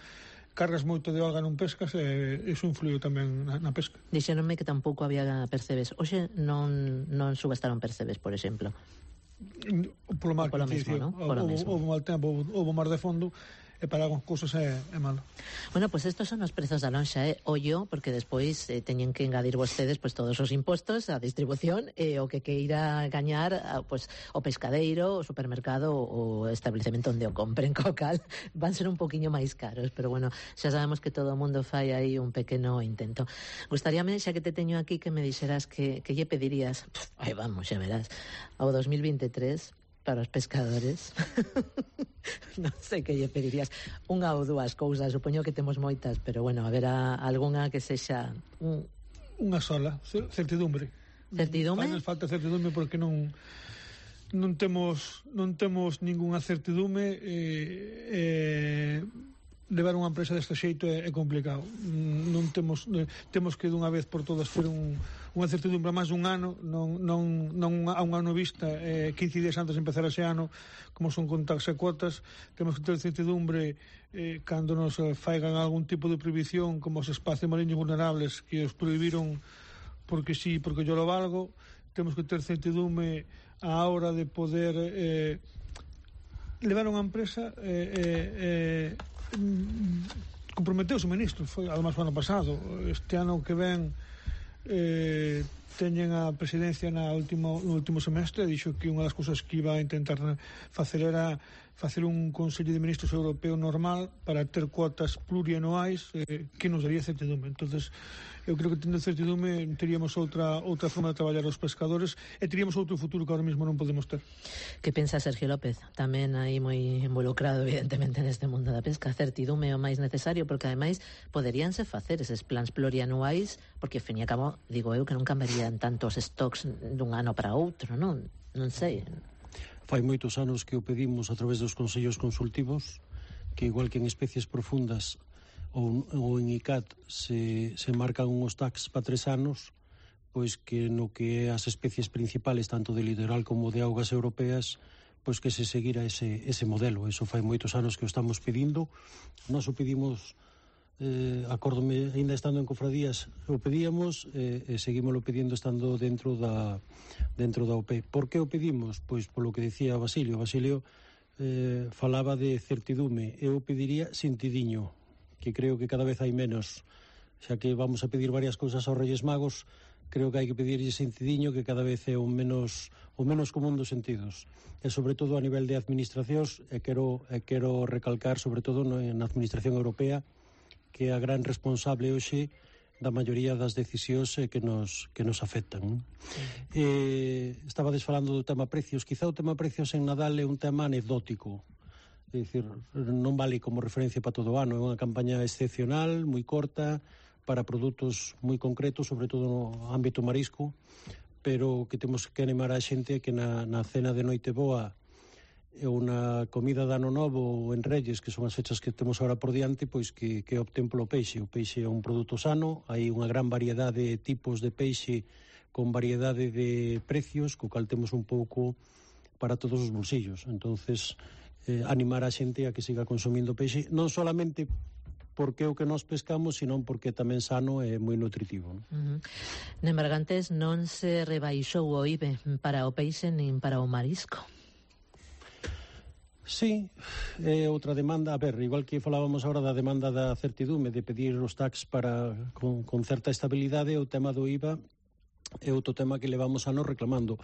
S9: cargas moito de alga non pescas e iso influiu tamén na pesca.
S4: Dixeronme que tampouco había percebes. Hoxe non subestaron percebes, por exemplo.
S9: Polo mar,
S4: polo mesmo, non?
S9: Houve mal tempo, houve mar de fondo, e para algunhas cousas é malo.
S4: Bueno, pues estos son os prezos da lonxa, ollo, porque despois teñen que engadir vostedes pues todos os impostos, a distribución e o que queira gañar pues o pescadeiro, o supermercado, o establecemento onde o compren, co cal van ser un poquinho máis caros, pero bueno, xa sabemos que todo o mundo fai aí un pequeno intento. Gustaríame, xa que te teño aquí, que me dixeras que lle pedirías, aí vamos, xa verás, ao 2023 para os pescadores. Non sei que lle pedirías. Unha ou dúas cousas, supoño que temos moitas, pero bueno, haberá algunha que sexa
S9: unha sola, certidumbre.
S4: Certidumbre?
S9: Nos falta certidumbre porque non temos ningunha certidumbre. Levar unha empresa deste xeito é complicado. Non temos que dunha vez por todas ter unha certidumbre máis dun ano, non a un ano vista, 15 días antes de empezar ese ano, como son contaxe cuotas. Temos que ter certidumbre cando nos faigan algún tipo de prohibición, como os espacios mariños vulnerables que os prohibiron porque sí, porque yo lo valgo. Temos que ter certidumbre á hora de poder levar unha empresa. Comprometeuse o ministro, foi además o ano pasado. Este ano que ven teñen a presidencia no último semestre, dixo que unha das cousas que iba a intentar facer era facer un Consello de Ministros Europeo normal para ter cuotas plurianuais que nos daría certidumbre. Entonces, eu creo que tendo certidumbre teríamos outra forma de traballar os pescadores e teríamos outro futuro que ahora mesmo non podemos ter.
S4: Que pensa Sergio López? Tamén aí moi involucrado evidentemente neste mundo da pesca. Certidume é o máis necesario, porque ademais poderíanse facer eses plans plurianuais, porque ao fin e a cabo, digo eu, que non cambiarían tantos stocks dun ano para outro, non sei.
S11: Fai moitos anos que o pedimos a través dos consellos consultivos, que igual que en especies profundas ou en ICAT se marcan unhos tax para 3 anos, pois que no que é as especies principales tanto de litoral como de augas europeas, pois que se seguira ese modelo. Eso fai moitos anos que o estamos pedindo. Nós o pedimos, acórdome, ainda estando en cofradías o pedíamos e seguímoslo pedindo estando dentro da OP. Por que o pedimos? Pois polo que decía Basilio falaba de certidume. Eu pediría sentidiño, que creo que cada vez hai menos, xa que vamos a pedir varias cousas aos Reyes Magos. Creo que hai que pedirlle sentidiño, que cada vez é o menos común dos sentidos, e sobre todo a nivel de administracións, e quero recalcar sobre todo na administración europea, que é a gran responsable hoxe da maioría das decisións que nos afectan. Estabades falando do tema precios. Quizá o tema precios en Nadal é un tema anecdótico, é dicir, non vale como referencia para todo o ano. É unha campaña excepcional, moi corta, para produtos moi concretos, sobre todo no ámbito marisco, pero que temos que animar a xente que na cena de Noite Boa ou na comida de Ano Novo ou en Reyes, que son as fechas que temos agora por diante, pois que opten polo peixe. O peixe é un produto sano, hai unha gran variedade de tipos de peixe con variedade de precios, co cal temos un pouco para todos os bolsillos. Entonces, animar a xente a que siga consumindo peixe, non solamente porque é o que nós pescamos, senón porque tamén sano e moi nutritivo.
S4: Nembergantes non se rebaixou o IBE para o peixe nin para o marisco.
S11: Sí, é outra demanda. A ver, igual que falábamos agora da demanda da certidume, de pedir os tax con certa estabilidade, o tema do IVA é outro tema que levamos anos reclamando.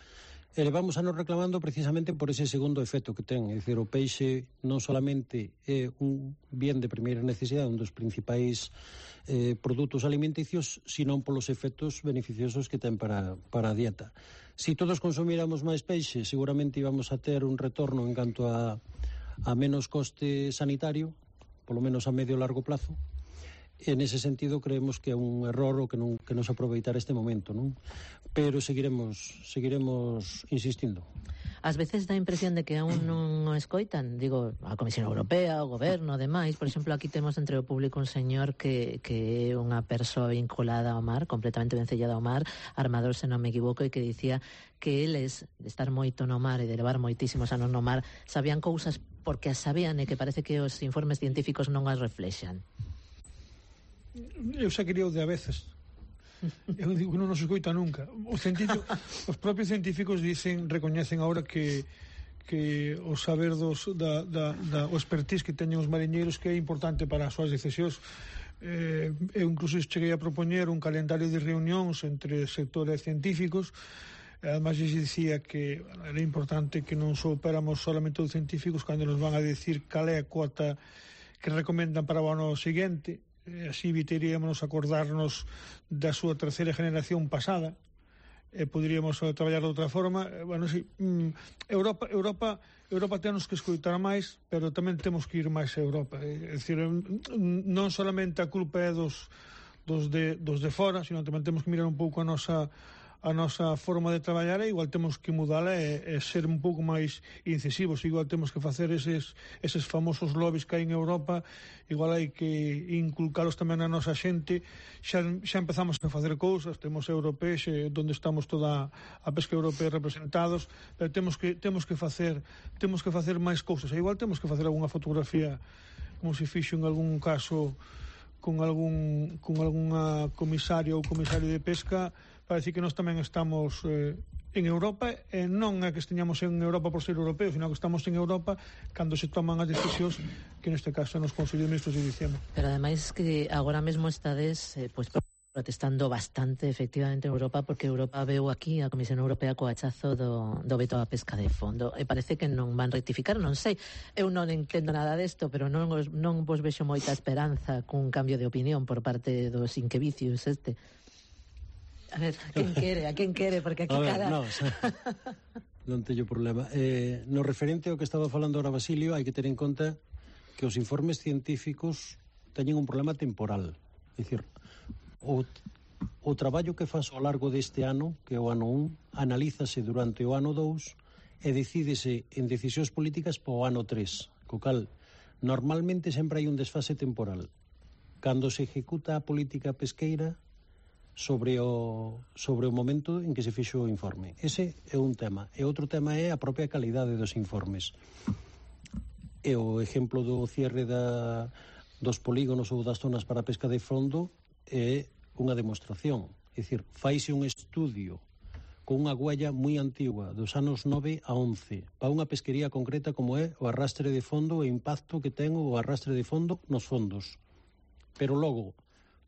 S11: E levamos anos reclamando precisamente por ese segundo efecto que ten. É dicir, o peixe non solamente é un bien de primeira necesidade, un dos principais produtos alimenticios, senón polos efectos beneficiosos que ten para a dieta. Si todos consumíramos máis peixe, seguramente íbamos a ter un retorno en canto a menos coste sanitario, polo menos a medio e largo plazo. En ese sentido creemos que é un error o que non se aproveitar este momento, non? Pero seguiremos insistindo.
S4: Ás veces dá a impresión de que aún non escoitan, digo, a Comisión Europea, o Goberno, demais. Por exemplo, aquí temos entre o público un señor que é unha persoa vinculada ao mar, completamente vencellada ao mar, armador, se non me equivoco, e que dicía que eles, de estar moito no mar e de levar moitísimos anos no mar, sabían cousas porque as sabían e que parece que os informes científicos non as reflexan.
S9: Eu xa quería o de a veces. Eu digo, non nos escoita nunca. Os propios científicos recoñecen agora que o saber o expertise que teñen os mariñeiros que é importante para as súas decisións. Eu incluso cheguei a propoñer un calendario de reunións entre sectores científicos. Además, lles dicía que era importante que non soupéramos solamente os científicos cando nos van a decir cal é a cuota que recomendan para o ano seguinte. Así evitaríamos acordarnos da súa terceira generación pasada e poderíamos traballar de outra forma. Bueno, sí, Europa temos que escoitar máis, pero tamén temos que ir máis a Europa. É dicir, non solamente a culpa é dos de fora, sino tamén temos que mirar un pouco a nosa forma de traballar, e igual temos que mudala e ser un pouco máis incisivos. Igual temos que facer eses famosos lobbies que hai en Europa, igual hai que inculcalos tamén na nosa xente. Xa empezamos a facer cousas, temos europeos onde estamos toda a pesca europea representados, pero temos que facer máis cousas. E igual temos que facer algunha fotografía como se fixo en algún caso con algunha comisaria ou comisario de pesca, para decir que nós tamén estamos en Europa, e non é que esteñamos en Europa por ser europeos, sino que estamos en Europa cando se toman as decisións, que neste caso nos Consello de Ministros de diciembre.
S4: Pero ademais que agora mesmo estades protestando bastante efectivamente en Europa, porque Europa veu aquí a Comisión Europea co hachazo do veto á pesca de fondo, e parece que non van rectificar. Non sei, eu non entendo nada desto, pero non vos vexo moita esperanza cun cambio de opinión por parte dos inquevicios este. A ver, a quen quere? Porque aquí
S11: non teño problema. No referente ao que estaba falando ahora Basilio, hai que ter en conta que os informes científicos teñen un problema temporal. É dicir, o traballo que faz ao largo deste ano, que é o ano 1, analízase durante o ano 2 e decídese en decisións políticas para o ano 3, co cal normalmente sempre hai un desfase temporal. Cando se ejecuta a política pesqueira sobre o momento en que se fixo o informe. Ese é un tema. E outro tema é a propia calidade dos informes. E o exemplo do cierre dos polígonos ou das zonas para a pesca de fondo é unha demostración. É dicir, faise un estudio con unha huella moi antigua, dos anos 9 a 11, para unha pesquería concreta como é o arrastre de fondo e o impacto que ten o arrastre de fondo nos fondos. Pero logo,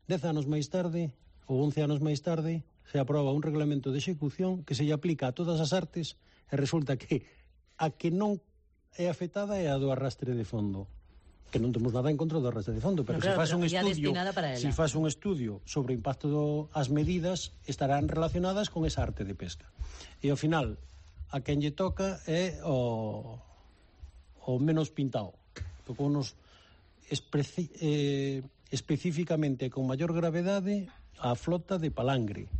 S11: 10 anos máis tarde, ou 11 anos máis tarde, se aproba un reglamento de execución que se lle aplica a todas as artes, e resulta que a que non é afectada é a do arrastre de fondo. Que non temos nada en contra do arrastre de fondo, pero se faz un estudio sobre o impacto das medidas, estarán relacionadas con esa arte de pesca. E ao final, a quen lle toca é o menos pintado. Tocounos especificamente con maior gravedade a flota de palangre,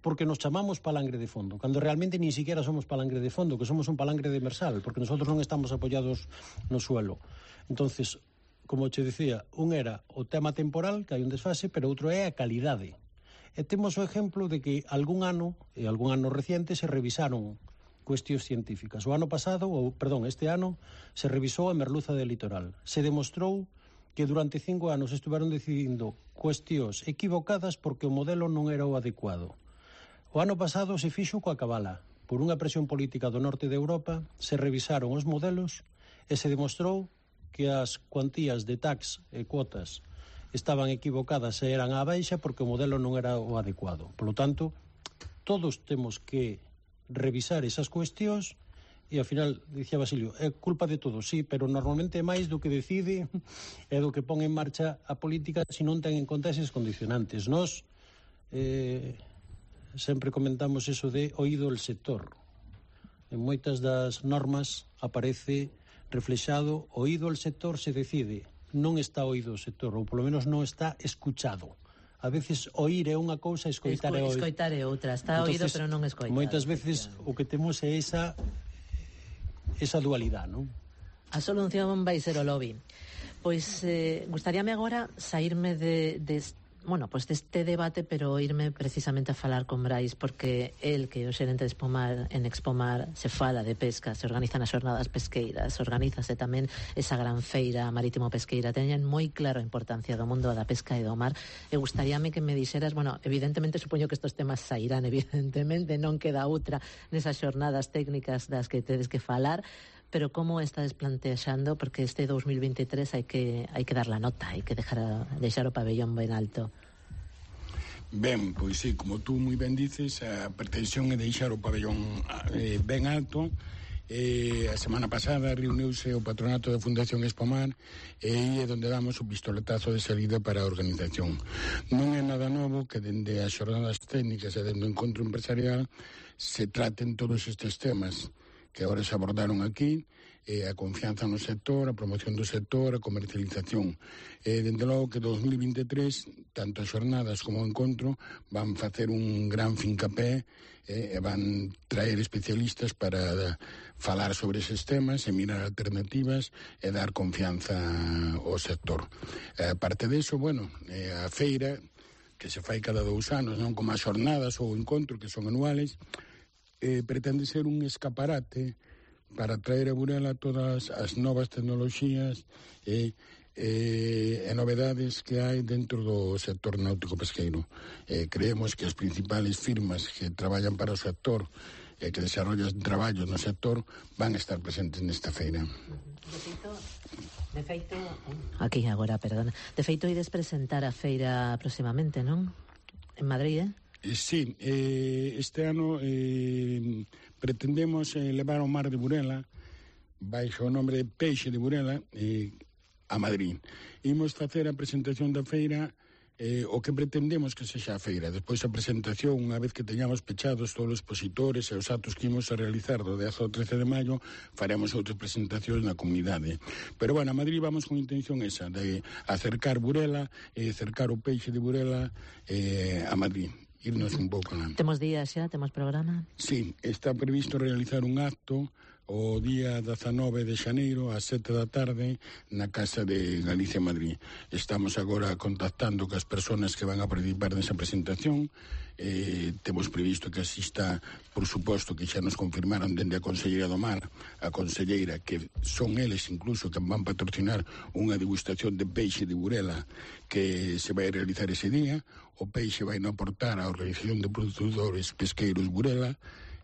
S11: porque nos chamamos palangre de fondo, cando realmente ni siquiera somos palangre de fondo, que somos un palangre demersal, porque nosotros non estamos apoyados no suelo. Entonces, como che dicía, un era o tema temporal, que hai un desfase, pero outro é a calidade. E temos o exemplo de que algún ano reciente se revisaron cuestións científicas. Este ano se revisou a merluza del litoral. Se demostrou que durante 5 anos estuveron decidindo cuestións equivocadas porque o modelo non era o adecuado. O ano pasado se fixo coa cabala. Por unha presión política do norte de Europa, se revisaron os modelos e se demostrou que as cuantías de tax e cuotas estaban equivocadas e eran á baixa porque o modelo non era o adecuado. Por lo tanto, todos temos que revisar esas cuestións. E ao final, dicía Basilio, é culpa de todos, sí, pero normalmente é máis do que decide e do que pon en marcha a política se non ten en conta eses condicionantes. Nós sempre comentamos eso de oído el sector. En moitas das normas aparece reflexado oído el sector se decide, non está oído o sector, ou polo menos non está escuchado. A veces oír é unha cousa, escoitar é outra.
S4: Escoitar é outra, está oído pero non escoitado.
S11: Moitas veces o que temos é esa dualidade, non?
S4: A solución vai ser o lobby. Pois gustaríame agora saírme deste debate, pero irme precisamente a falar con Brais, porque el que é o xerente de Expomar, en Expomar se fala de pesca, se organizan as xornadas pesqueiras, organízase tamén esa gran feira marítimo pesqueira, teñen moi claro a importancia do mundo da pesca e do mar, e gustaríame que me dixeras, evidentemente supoño que estos temas sairán, evidentemente non queda outra nesas xornadas técnicas das que tedes que falar, pero como estades plantexando, porque este 2023 hai que dar la nota, hai que deixar o pabellón ben alto.
S10: Ben, pois sí, como tú moi ben dices, a pretensión é deixar o pabellón ben alto. A semana pasada reuniuse o patronato da Fundación Expomar e é onde damos o pistoletazo de salida para a organización. Non é nada novo que dende as xornadas técnicas e dende o encontro empresarial se traten todos estes temas que agora se abordaron aquí, a confianza no sector, a promoción do sector, a comercialización. Dende logo que 2023, tanto as xornadas como o encontro van facer un gran fincapé e van traer especialistas para falar sobre eses temas e mirar alternativas e dar confianza ao sector. Aparte deso, a feira que se fai cada 2 anos, non como as xornadas ou o encontro que son anuales, pretende ser un escaparate para traer a Burela todas as novas tecnoloxías e novedades que hai dentro do sector náutico pesqueiro. Creemos que as principales firmas que traballan para o sector e que desarrollan traballos no sector van a estar presentes nesta feira.
S4: De feito, ides presentar a feira próximamente, non? En Madrid,
S10: Sí, este ano pretendemos levar o mar de Burela baixo o nombre de Peixe de Burela a Madrid. Imos facer a presentación da feira o que pretendemos que sexa a feira. Despois a presentación, unha vez que teñamos pechados todos os expositores e os actos que imos a realizar do 10 ao 13 de maio, faremos outras presentacións na comunidade. Pero, a Madrid vamos con intención esa, de acercar Burela e acercar o peixe de Burela a Madrid. Irnos un pouco.
S4: Temos días xa, temos programa?
S10: Sí, está previsto realizar un acto o día 19 de xaneiro ás 7 da tarde na Casa de Galicia, Madrid. Estamos agora contactando cas persoas que van a participar nesa presentación. Temos previsto que asista, por suposto, que xa nos confirmaron dende a Conselleira do Mar, a Conselleira, que son eles incluso que van patrocinar unha degustación de peixe de Burela que se vai realizar ese día. O peixe vai non aportar á Organización de Produtores Pesqueiros Burela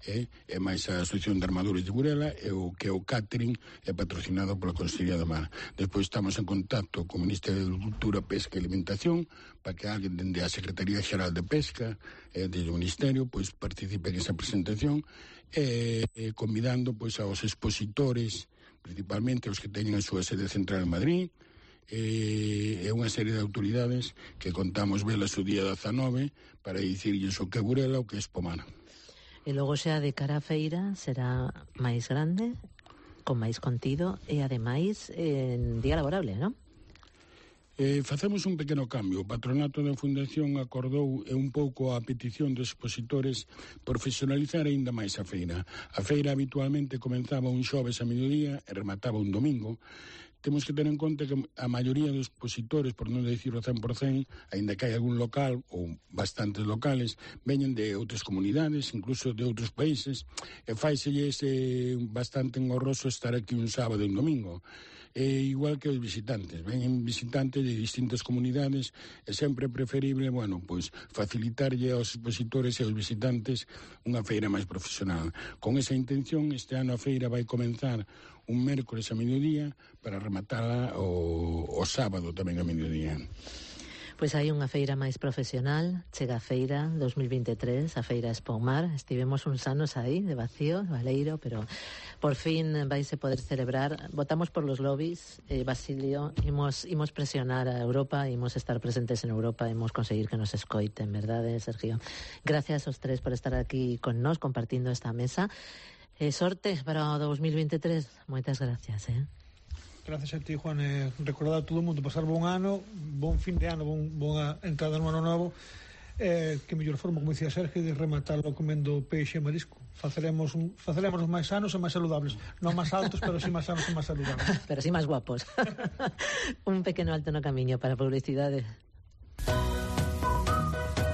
S10: e máis a Asociación de Armadores de Burela e o que o catering é patrocinado pola Consellería do Mar. Despois estamos en contacto co Ministerio de Agricultura, Pesca e Alimentación para que alguén dende a Secretaría Xeral de Pesca e do Ministerio participe en esa presentación convidando aos expositores, principalmente os que teñen a súa sede central en Madrid, e unha serie de autoridades que contamos velas o día 19 para dicirlles o que é Burela, o que é Expomar.
S4: E logo xa de cara a feira será máis grande, con máis contido e ademais en día laborable, non?
S10: Facemos un pequeno cambio. O patronato da Fundación acordou un pouco a petición dos expositores profesionalizar aínda máis a feira. A feira habitualmente comenzaba un xoves a mediodía e remataba un domingo. Temos que ter en conta que a maioría dos expositores, por non decir o 100%, aínda que hai algún local ou bastantes locales, veñen de outras comunidades, incluso de outros países, e faiselles bastante engorroso estar aquí un sábado e un domingo. Igual que os visitantes, veñen visitantes de distintas comunidades, é sempre preferible, facilitarlle aos expositores e aos visitantes unha feira máis profesional. Con esa intención, este ano a feira vai comenzar un mércores a mediodía para rematala o sábado tamén a mediodía.
S4: Pois hai unha feira máis profesional, chega a feira 2023, a feira Espomar. Estivemos uns anos aí, de vacío, valeiro, pero por fin vaise poder celebrar. Votamos por los lobbies, Basilio, imos presionar a Europa, imos estar presentes en Europa, imos conseguir que nos escoiten, verdade, Sergio? Gracias aos tres por estar aquí con nós, compartindo esta mesa. Sorte para o 2023, moitas gracias,
S9: Gracias a ti, Juan. Recordar a todo o mundo pasar bon ano, bon fin de ano, boa entrada no ano novo. Que mellor forma, como dicía Sergio, de rematarlo comendo peixe e marisco. Faceremos máis sanos e máis saludables. Non máis altos, pero sí máis sanos e máis saludables.
S4: Pero sí máis guapos. Un pequeno alto no camiño para a publicidade.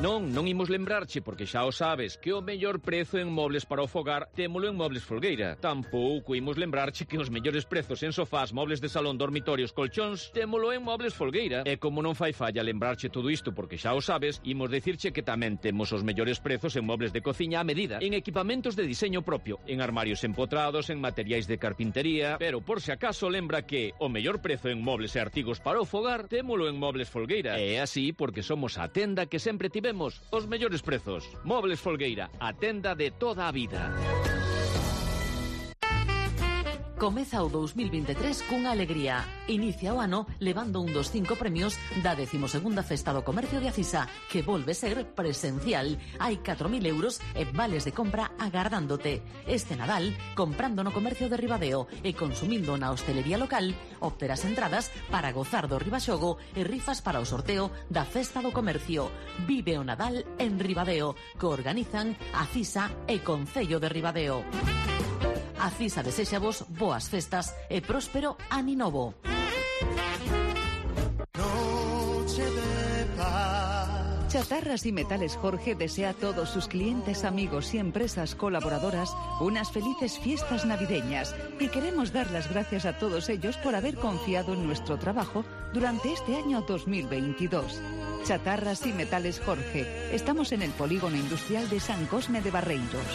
S8: Non imos lembrarche, porque xa o sabes, que o mellor prezo en mobles para o fogar témolo en Mobles Folgueira. Tampouco imos lembrarche que os mellores prezos en sofás, mobles de salón, dormitorios, colchóns, témolo en Mobles Folgueira. E como non fai falla lembrarche todo isto, porque xa o sabes, imos dicirche que tamén temos os mellores prezos en mobles de cociña a medida, en equipamentos de diseño propio, en armarios empotrados, en materiais de carpintería. Pero por se acaso lembra que o mellor prezo en mobles e artigos para o fogar témolo en Mobles Folgueira. E é así porque somos a tenda que sempre tivemos os mellores prezos. Mobles Folgueira, a tenda de toda a vida.
S12: Comeza o 2023 cunha alegría. Inicia o ano levando un dos 5 premios da 12ª Festa do Comercio de Acisa, que volve ser presencial. Hai 4.000 euros e vales de compra agardándote. Este Nadal, comprando no comercio de Ribadeo e consumindo na hostelería local, obterás entradas para gozar do Ribaxogo e rifas para o sorteo da Festa do Comercio. Vive o Nadal en Ribadeo, que organizan Acisa e Concello de Ribadeo. Acisa desexa vos boas festas e próspero ano novo.
S6: Chatarras y Metales Jorge desea a todos sus clientes, amigos y empresas colaboradoras unas felices fiestas navideñas y queremos dar las gracias a todos ellos por haber confiado en nuestro trabajo durante este año 2022. Chatarras y Metales Jorge. Estamos en el Polígono Industrial de San Cosme de Barreiros.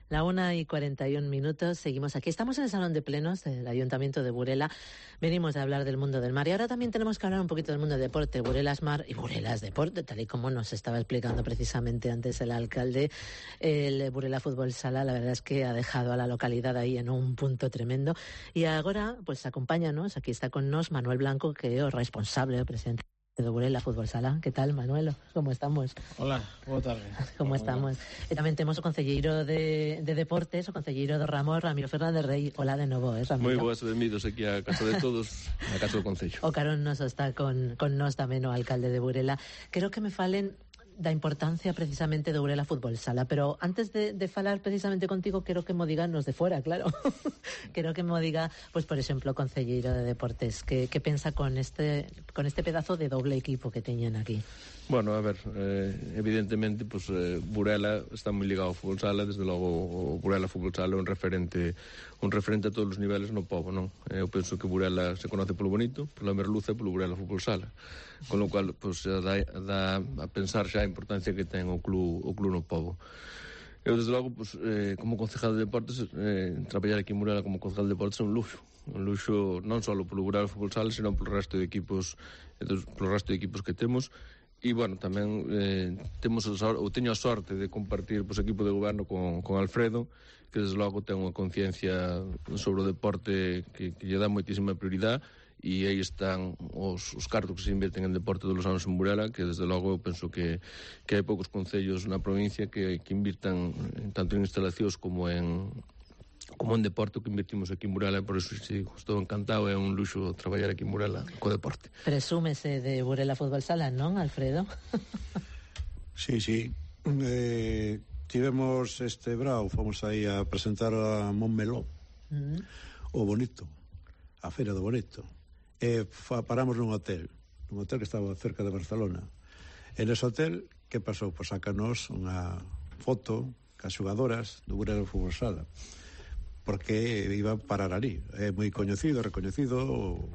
S4: La 1:41, seguimos aquí. Estamos en el Salón de Plenos del Ayuntamiento de Burela. Venimos a hablar del mundo del mar y ahora también tenemos que hablar un poquito del mundo del deporte. Burela es mar y Burela es deporte, tal y como nos estaba explicando precisamente antes el alcalde. El Burela Fútbol Sala, la verdad es que ha dejado a la localidad ahí en un punto tremendo. Y ahora, pues acompáñanos, aquí está con nos Manuel Blanco, que es responsable, presidente de Burela Fútbol Sala. Que tal, Manuel? Como estamos?
S13: Hola, boa tarde.
S4: Como estamos? E tamén temos o concelleiro de Deportes, o concelleiro do ramo, Ramiro Fernández Rey. Hola de novo, Ramiro?
S14: Moi boas, benvidos aquí a casa de todos, na casa do Concello.
S4: O carón nos está con nós tamén o alcalde de Burela. Quero que me falen da importancia precisamente do Burela Fútbol Sala, pero antes de falar precisamente contigo, quero que mo digan nos de fora, claro. Quero que mo diga, pues por exemplo, o concelleiro de Deportes, que pensa con este pedazo de doble equipo que teñen aquí.
S14: Bueno, a ver, evidentemente, pues Burela está moi ligado ao Fútbol Sala, desde logo o Burela Fútbol Sala é un referente a todos os niveles no pobo, non? Eu penso que Burela se conoce polo bonito, pola merluza e polo Burela Fútbol Sala, con lo cual, pues, dá a pensar xa a importancia que ten o club no pobo. Eu, desde logo, pues, como concejal de deportes, traballar aquí en Burela como concejal de deportes é un luxo non só polo Burela Fútbol Sala, senón polo resto de equipos que temos. E, bueno, tamén teño a sorte de compartir o equipo de goberno con Alfredo, que desde logo ten unha conciencia sobre o deporte que lle dá moitísima prioridade, e aí están os cartos que se inverten en deporte todos os anos en Burela, que desde logo eu penso que hai poucos concellos na provincia que invirtan tanto en instalacións como en deporte que invertimos aquí en Burela. Por eso sí, estou encantado, é un luxo traballar aquí en Burela co deporte.
S4: Presúmese de Burela Fútbol Sala, non, Alfredo?
S1: Sí. Tivemos este brao, fomos aí a presentar a Montmeló, o Bonito, a Feira do Bonito, e paramos nun hotel que estaba cerca de Barcelona. En ese hotel, que pasou? Pois sacanos unha foto cas xogadoras do Burela Fútbol Sala, porque iba a parar ali. É moi coñecido, recoñecido o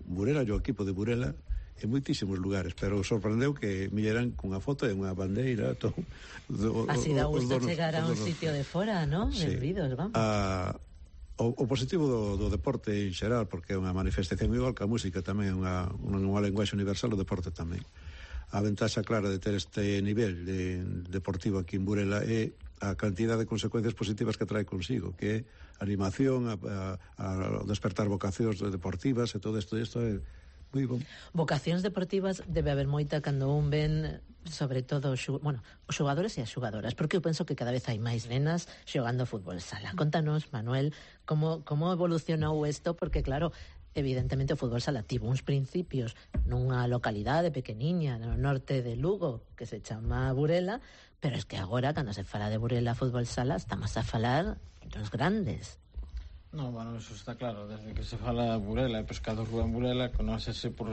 S1: Burela, o equipo de Burela, en moitísimos lugares, pero sorprendeu que Millerán cunha foto e unha bandeira todo,
S4: así dá gusto chegar a un sitio de fora, ¿no?
S1: Sí.
S4: Benvidos, vamos.
S1: O positivo do deporte en xeral, porque é unha manifestación igual que a música tamén é unha lenguaxe universal, o deporte tamén. A ventaxa clara de ter este nivel deportivo aquí en Burela é a cantidad de consecuencias positivas que trae consigo, que é animación, a despertar vocacións deportivas e todo isto é moi bom.
S4: Vocacións deportivas debe haber moita cando un ven, sobre todo, os xogadores e as xogadoras, porque eu penso que cada vez hai máis nenas xogando fútbol sala. Contanos, Manuel, como evolucionou isto, porque claro, evidentemente o fútbol sala tivo uns principios nunha localidade pequeniña no norte de Lugo que se chama Burela, pero es que agora cando se fala de Burela fútbol sala estamos a falar dos grandes.
S13: No, bueno, eso está claro, desde que se fala de Burela e Pescado Rúa en Burela conócese por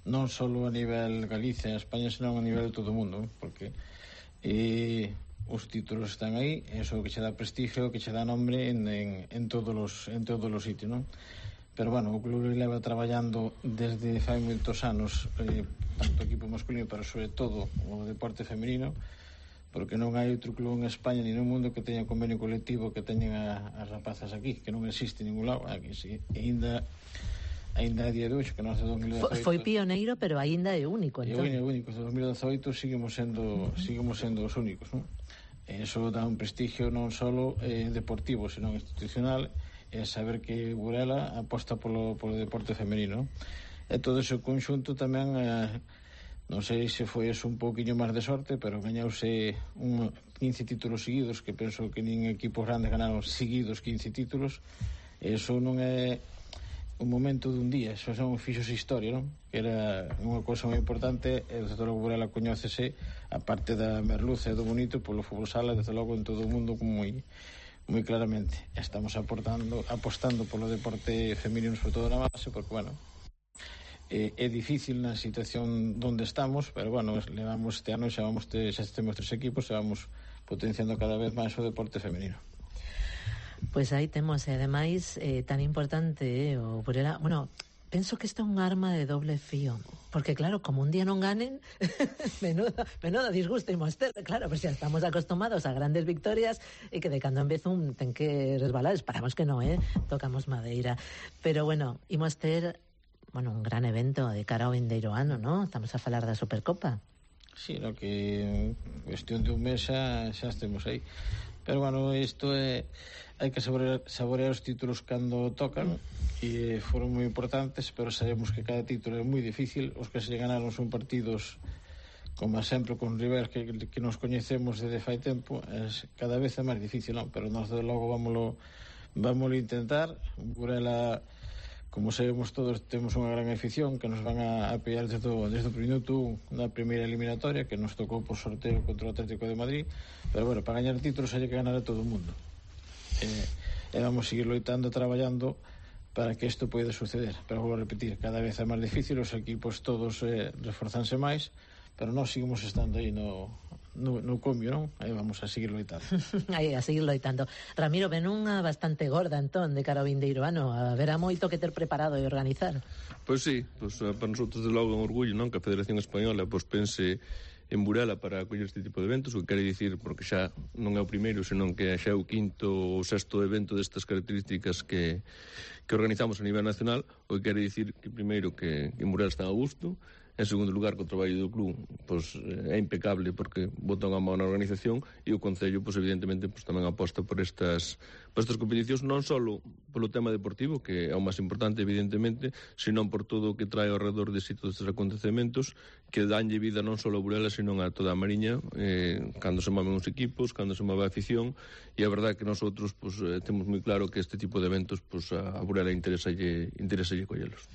S13: non só a nivel Galicia e España, senón a nivel de todo o mundo, porque os títulos están aí, eso que che dá prestigio, que che dá nombre en todos os sitios, non? Pero bueno, o club leva traballando desde fai moitos anos, tanto o equipo masculino, pero sobre todo o deporte femenino, porque non hai outro club en España ni no mundo que teña convenio colectivo que teñen as rapazas aquí, que non existe en ningún lado. Aquí sí, ainda a día de hoxe, que non é 2018.
S4: Foi pioneiro, pero ainda é único, entón.
S13: É único, en 2018 seguimos sendo os únicos, non? Eso dá un prestigio non só deportivo, senón institucional, é saber que Burela aposta polo deporte femenino. E todo ese conxunto tamén, non sei se foi eso un pouquiño máis de sorte, pero gañouse 15 títulos seguidos, que penso que nin equipos grandes ganaron seguidos 15 títulos. Eso non é un momento dun día, eso son fixos historia, non? Que era unha cousa moi importante, e desde logo Burela coñécese, a parte da merluza e do bonito, polo fútbol sala, desde logo en todo o mundo como moi claramente. Estamos apostando polo deporte femenino, sobre todo na base, porque, bueno, é difícil na situación onde estamos, pero, bueno, levamos este ano, xa temos 3 equipos, e vamos potenciando cada vez máis o deporte femenino.
S4: Pois aí temos, e ademais, tan importante, o Burela, bueno, penso que isto é un arma de doble fío, porque claro, como un día non ganen, menudo disgusto imos ter, claro, pero xa estamos acostumados a grandes victorias e que de cando en vez un ten que resbalar, esperamos que non, tocamos madeira, pero bueno, imos ter un gran evento de cara ao vindeiro ano, non? Estamos a falar da Supercopa.
S13: Sí, no, que cuestión de un mes xa estemos aí. Pero, bueno, isto hai que saborear os títulos cando tocan, e foron moi importantes, pero sabemos que cada título é moi difícil. Os que se ganaron son partidos, como sempre, con rivais que nos coñecemos desde fai tempo, cada vez é máis difícil, non? Pero nós, de logo, vámoslo intentar. Burela, como sabemos todos, temos unha gran afición que nos van a apoiar desde o minuto na primeira eliminatoria, que nos tocou por sorteo contra o Atlético de Madrid. Pero, bueno, para gañar títulos hai que ganar a todo o mundo, e vamos seguir loitando, traballando para que isto poida suceder. Pero vou repetir, cada vez é máis difícil, os equipos todos reforzanse máis, pero nós seguimos estando aí no comio, non? Aí vamos a seguir loitando.
S4: Aí, a seguir loitando. Ramiro, ven unha bastante gorda, entón, de cara ao vindeiro ano. Haberá moito que ter preparado e organizar.
S14: Pois sí, para nosotros de logo é un orgullo, non? Que a Federación Española pense en Burela para acoller este tipo de eventos, o que quere dicir, porque xa non é o primeiro, senón que xa é o quinto ou sexto evento destas características que organizamos a nivel nacional, o que quere dicir que primeiro que en Burela está a gusto, en segundo lugar que o traballo do club é impecable porque bota unha mão na organización, e o Concello evidentemente tamén aposta por estas competicións, non só polo tema deportivo, que é o máis importante evidentemente, senón por todo o que trae ao redor de todos estes acontecementos que danlle vida non só a Burela, senón a toda a Mariña, cando se moven os equipos, cando se move a afición. E a verdade que nosotros temos moi claro que este tipo de eventos a Burela interesalle collelos.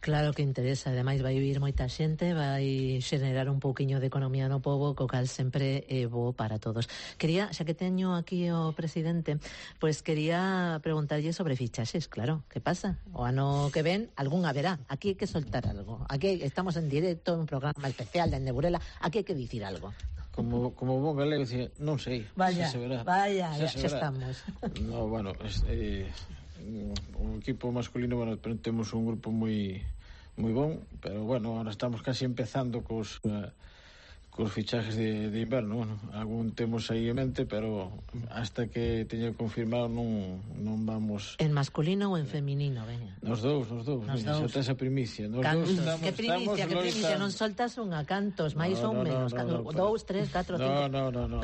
S4: Claro que interesa, ademais vai vir moita xente, vai xenerar un pouquiño de economía no pobo, co cal sempre é bo para todos. Quería, xa que teño aquí o presidente, pois quería preguntarlle sobre fichaxes, claro, que pasa? O ano que ven, algún haberá, aquí hai que soltar algo, aquí estamos en directo, un programa especial dende Burela, aquí hai que dicir algo.
S13: Como bon galego, non sei,
S4: vaya, xa estamos.
S13: No, bueno, o equipo masculino, bueno, temos un grupo moi moi bon, pero bueno, ahora estamos casi empezando cos fichajes de inverno. Bueno, algún temos aí en mente, pero hasta que teña confirmado non vamos...
S4: En masculino ou en feminino, veña?
S13: Nos dous. Xa tes a primicia.
S4: Que primicia? Non soltas unha, cantos, máis ou menos? 2, 3, 4, 5...
S13: No.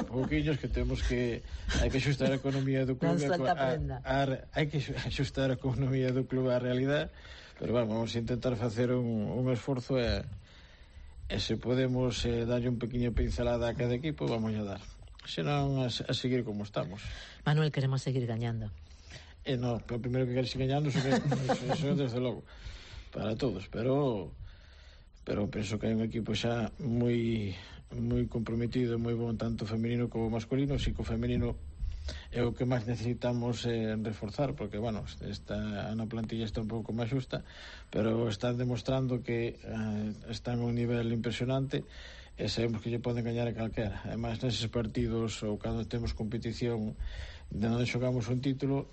S13: Pouquiños que temos que... Hai que xustar a economía do club. Hai que xustar a economía do club á realidade, pero vamos a intentar facer un esforzo e se podemos darlle un pequeño pincelada a cada equipo, vamos a dar. Senón a seguir como estamos.
S4: Manuel, queremos seguir gañando.
S13: No, o primeiro que queres seguir gañando eso desde logo para todos, pero penso que hai un equipo xa moi comprometido, moi bon, tanto femenino como masculino. Si que o femenino é o que máis necesitamos reforzar, porque, bueno, na plantilla está un pouco máis xusta, pero están demostrando que están a un nivel impresionante e sabemos que lle poden gañar a calquera. Ademais, neses partidos ou cando temos competición de onde xogamos un título,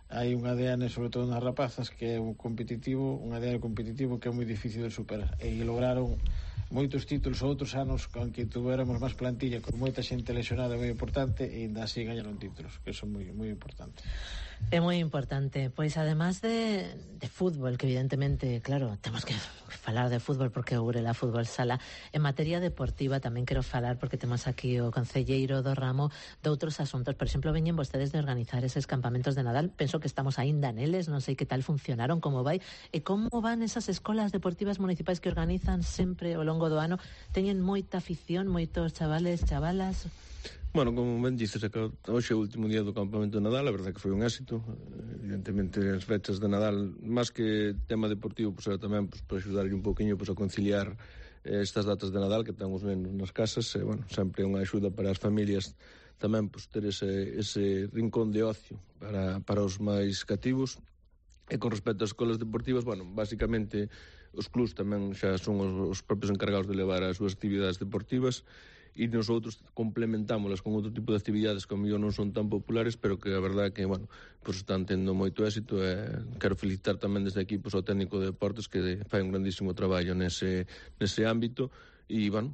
S13: hai un ADN, sobre todo nas rapazas, que é un ADN competitivo que é moi difícil de superar, e lograron moitos títulos outros anos con que tuéramos máis plantilla, con moita xente lesionada moi importante, e ainda así gañaron títulos, que son moi importante.
S4: É moi importante. Pois además de fútbol, que evidentemente, claro, temos que falar de fútbol porque o Burela Fútbol Sala, en materia deportiva tamén quero falar, porque temos aquí o concelleiro do ramo de outros asuntos. Por exemplo, veñen vostedes de organizar eses campamentos de Nadal. Penso que estamos aínda neles, non sei que tal funcionaron, como vai, e como van esas escolas deportivas municipais que organizan sempre ao longo do ano. Teñen moita afición, moitos chavales, chavalas...
S14: Bueno, como ben dices, hoxe é o último día do campamento de Nadal, a verdade que foi un éxito. Evidentemente, as fechas de Nadal, máis que tema deportivo, pues, era tamén pues, para axudarlle un poquinho pues, a conciliar estas datas de Nadal que ten os nenos nas casas. Bueno, sempre é unha axuda para as familias tamén pues, ter ese rincón de ocio para os máis cativos. E con respecto ás escolas deportivas, bueno, basicamente os clubs tamén xa son os propios encargados de levar as súas actividades deportivas, e nosotros complementámolas con outro tipo de actividades que ao mellor non son tan populares, pero que a verdade que, bueno, pues están tendo moito éxito. Quero felicitar tamén desde aquí pues, ao técnico de deportes que fai un grandísimo traballo nese ámbito, e, bueno,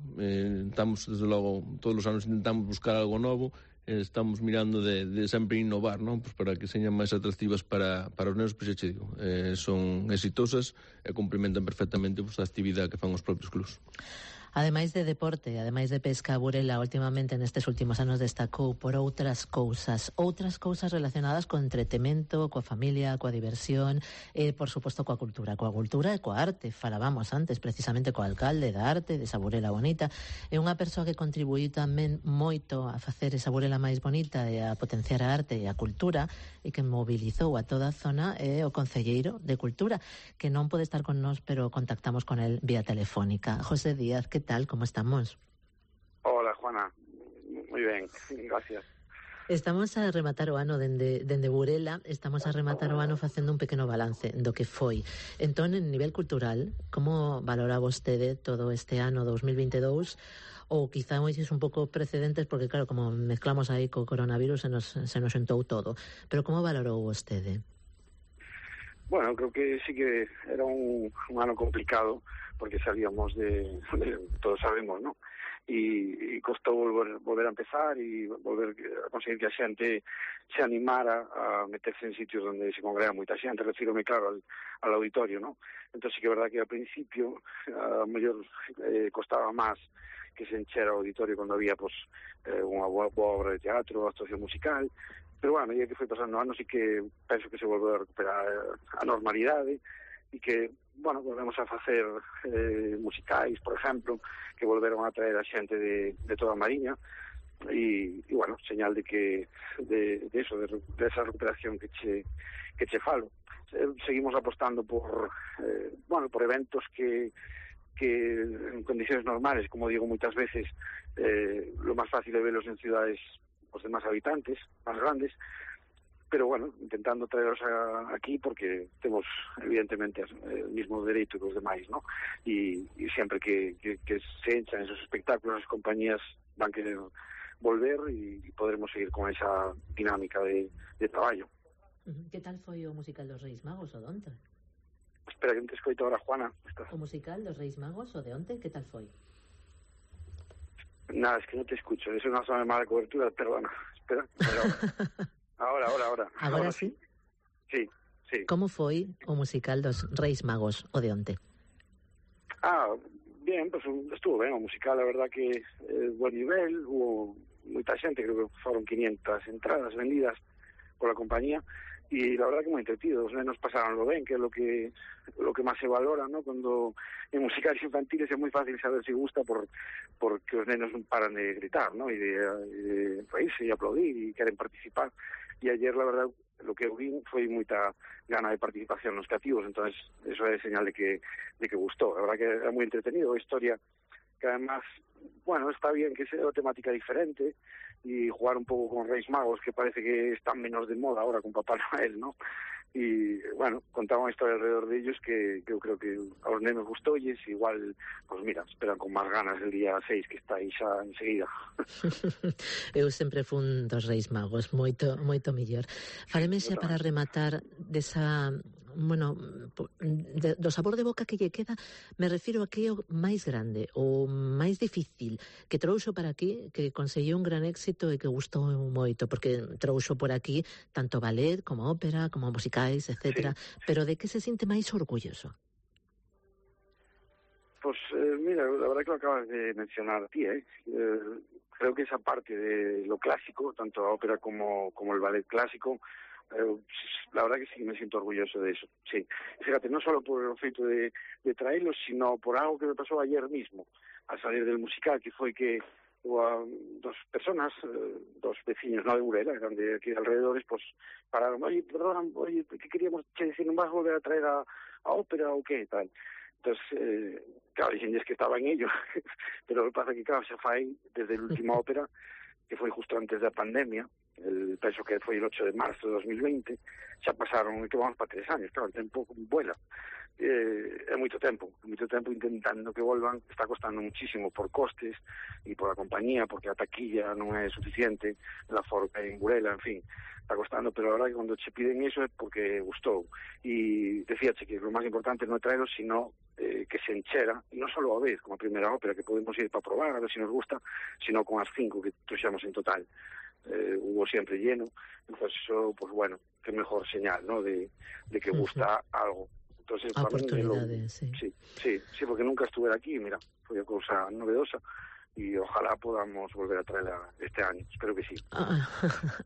S14: estamos, desde logo, todos os anos intentamos buscar algo novo, estamos mirando de sempre innovar, non? Pues para que señan máis atractivas para os nenos, pois xa digo, son exitosas e complementan perfectamente pues, a actividade que fan os propios clubs.
S4: Ademais de deporte, ademais de pesca, Burela últimamente nestes últimos anos destacou por outras cousas relacionadas co entretemento, coa familia, coa diversión e, por suposto, coa cultura e coa arte. Falábamos antes precisamente co alcalde da arte, desa Burela bonita. É unha persoa que contribuíu tamén moito a facer esa Burela máis bonita e a potenciar a arte e a cultura, e que mobilizou a toda a zona, é o concelleiro de Cultura, que non pode estar con nós, pero contactamos con el vía telefónica. José Díaz, ¿qué tal? ¿Cómo estamos?
S15: Hola, Juana. Muy ben, gracias.
S4: Estamos a rematar o ano dende Burela, estamos a rematar o ano facendo un pequeno balance do que foi. Entón, en nivel cultural, como valora vostede todo este ano 2022? Ou quizá moises un pouco precedentes, porque claro, como mezclamos aí co coronavirus se nos sentou todo. Pero como valorou vostede?
S15: Bueno, creo que sí que era un ano complicado, porque salíamos todos sabemos, ¿no? Y costou volver a empezar e volver a conseguir que a xente se animara a meterse en sitios donde se congrega moita xente. Refírome, claro, al auditorio, ¿no? Entón sí que é verdad que ao principio a mellor costaba máis que se enchera o auditorio cando había pues, unha boa obra de teatro, actuación musical, pero bueno, a medida que foi pasando anos sí que penso que se volveu a recuperar a normalidade e que, bueno, volvemos a facer musicais, por exemplo, que volveron a traer a xente de toda a Mariña e bueno, señal de que de esa recuperación que che falo. Seguimos apostando por eventos que en condiciones normales, como digo muchas veces, lo más fácil es verlos en ciudades pues, de más habitantes, más grandes, pero bueno, intentando traerlos aquí porque tenemos evidentemente el mismo derecho que los demás, ¿no? Y siempre que se enchan esos espectáculos, las compañías van a querer volver y podremos seguir con esa dinámica de trabajo.
S4: ¿Qué tal foi o musical dos Reis Magos, o donte?
S15: espera que non te escoito ahora, Juana.
S4: O musical dos Reis Magos, o de onte, que tal foi?
S15: Nada, es que no te escucho. Es una zona de mala cobertura, perdona. Espera. Ahora.
S4: Agora sí?
S15: Sí.
S4: Como foi o musical dos Reis Magos, o de onte?
S15: Bien, pues estuvo ben o musical, a verdad que buen nivel, hubo moita xente, creo que foron 500 entradas vendidas pola compañía, y la verdad que moi entretido, os nenos pasaronlo ben, que é lo que máis se valora, ¿no? Cuando en musicales infantiles é moi fácil saber se gusta porque os nenos non paran de gritar, ¿no? E de reírse e aplaudir e queren participar, e ayer, la verdad, lo que eu vi foi moita gana de participación nos cativos, entonces eso é señal de que gustou. A verdad que é moi entretenido, a historia que además, bueno, está bien que sea una temática diferente y jugar un pouco con Reis Magos, que parece que están menos de moda ahora con Papá Noel, ¿no? Y, bueno, contaba una historia alrededor de ellos que eu creo que a los nenos gustou y igual, pues mira, esperan con máis ganas el día 6, que está aí xa enseguida.
S4: Eu sempre fun dos Reis Magos, moito mellor. Faleme xa para rematar desa, bueno, do sabor de boca que lle queda, me refiro a que é o máis grande, o máis difícil que trouxo para aquí, que conseguiu un gran éxito e que gustou moito, porque trouxo por aquí tanto ballet como ópera, como musicais, etcétera, sí. Pero de que se sinte máis orgulloso?
S15: Pues mira, la verdad que lo acabas de mencionar a ti, creo que esa parte de lo clásico, tanto la ópera como el ballet clásico, la verdad que sí me siento orgulloso de eso, sí. Fíjate, no solo por el efecto de traerlos, sino por algo que me pasó ayer mismo, al salir del musical, que fue que dos personas, dos vecinos, no de Burela, eran de aquí de alrededores, pues pararon, oye, perdón, ¿qué queríamos decir? ¿No vas a volver a traer a ópera o qué? Tal. Entonces, claro, dicen, es que estaba en ello, pero lo que pasa es que, claro, se fue desde la última ópera, que fue justo antes de la pandemia, penso que foi el 8 de marzo de 2020, xa pasaron, que vamos para 3 años, claro, el tempo vuela. É moito tempo intentando que volvan, está costando muchísimo por costes e por a compañía, porque a taquilla non é suficiente, la forma en Burela, en fin, está costando, pero a verdad que cando che piden eso é porque gustou. E decíache que lo máis importante non é traerlo, sino que se enchera, e non só a vez, como a primeira ópera, que podemos ir para probar, a ver se nos gusta, sino con as 5 que trouxemos en total. Hubo siempre lleno, entonces eso, pues bueno, qué mejor señal, ¿no? De que gusta algo. Entonces,
S4: oportunidades,
S15: sí, porque nunca estuve aquí, mira, fue una cosa novedosa y ojalá podamos volver a traerla este año, espero que sí.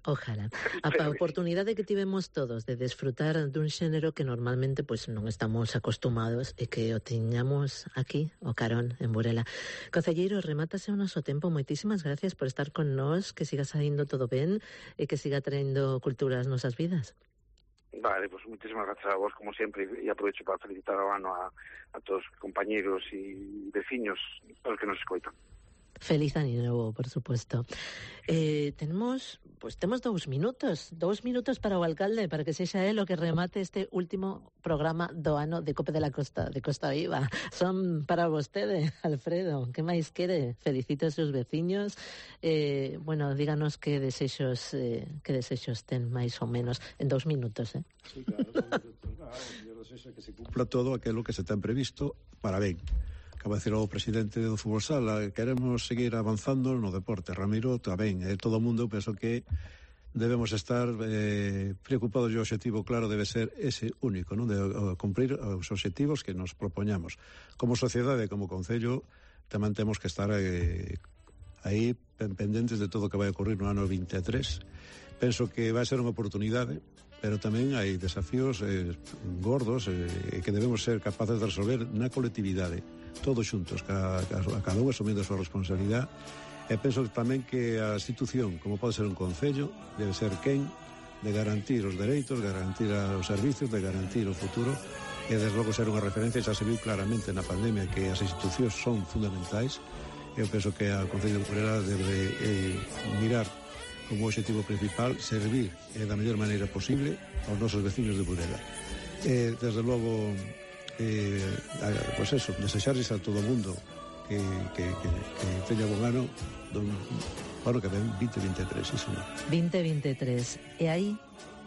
S4: Ojalá. A oportunidade que tivemos todos de desfrutar dun xénero que normalmente pues non estamos acostumados e que o teñamos aquí, o carón, en Burela. Concelleiro, remátase o noso tempo. Moitísimas gracias por estar con nós, que siga saindo todo ben e que siga traendo cultura ás nosas vidas.
S15: Vale, pues muchísimas gracias a vos, como siempre, y aprovecho para felicitar a todos los compañeros y vecinos, todos los que nos escoitan.
S4: Feliz año novo, por supuesto. Temos 2 minutos para o alcalde, para que sexa él o que remate este último programa do ano de Cope de la Costa, de Costa Viva. Son para vostede, Alfredo. Que máis quere? Felicito a seus veciños. Bueno, díganos que desexos ten máis ou menos en 2 minutos,
S1: Sí, claro, 2 minutos. Yo desexo que se cumpla todo aquilo que se ten previsto para ben. Acaba de decir o presidente do Fútbol Sala, queremos seguir avanzando no deporte. Ramiro, tamén, todo o mundo, penso que debemos estar preocupados e o objetivo claro debe ser ese único, non? De cumprir os objetivos que nos propoñamos. Como sociedade, como concello, tamén temos que estar aí pendentes de todo o que vai ocurrir no ano 23. Penso que vai ser unha oportunidade, pero tamén hai desafíos gordos que debemos ser capaces de resolver na colectividade, todos xuntos, cada un asumindo a súa responsabilidade. E penso tamén que a institución, como pode ser un concello, debe ser quen de garantir os dereitos, garantir os servicios, de garantir o futuro, e desde logo ser unha referencia. Xa se viu claramente na pandemia que as institucións son fundamentais. Eu penso que a Concello de Burela debe mirar como objetivo principal servir da mellor maneira posible aos nosos veciños de Burela. Desde logo, pues eso, desexarles a todo o mundo que teña bon ano, ano que ven, 2023, sí, señor.
S4: 2023. E aí,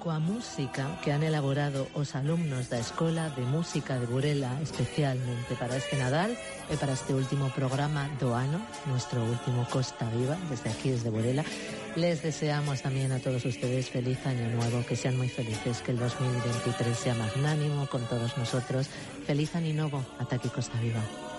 S4: coa música que han elaborado os alumnos da Escola de Música de Burela especialmente para este Nadal e para este último programa do ano, nuestro último Costa Viva, desde aquí, desde Burela. Les deseamos también a todos ustedes feliz año nuevo, que sean muy felices, que el 2023 sea magnánimo con todos nosotros. Feliz año nuevo, ata aquí Costa Viva.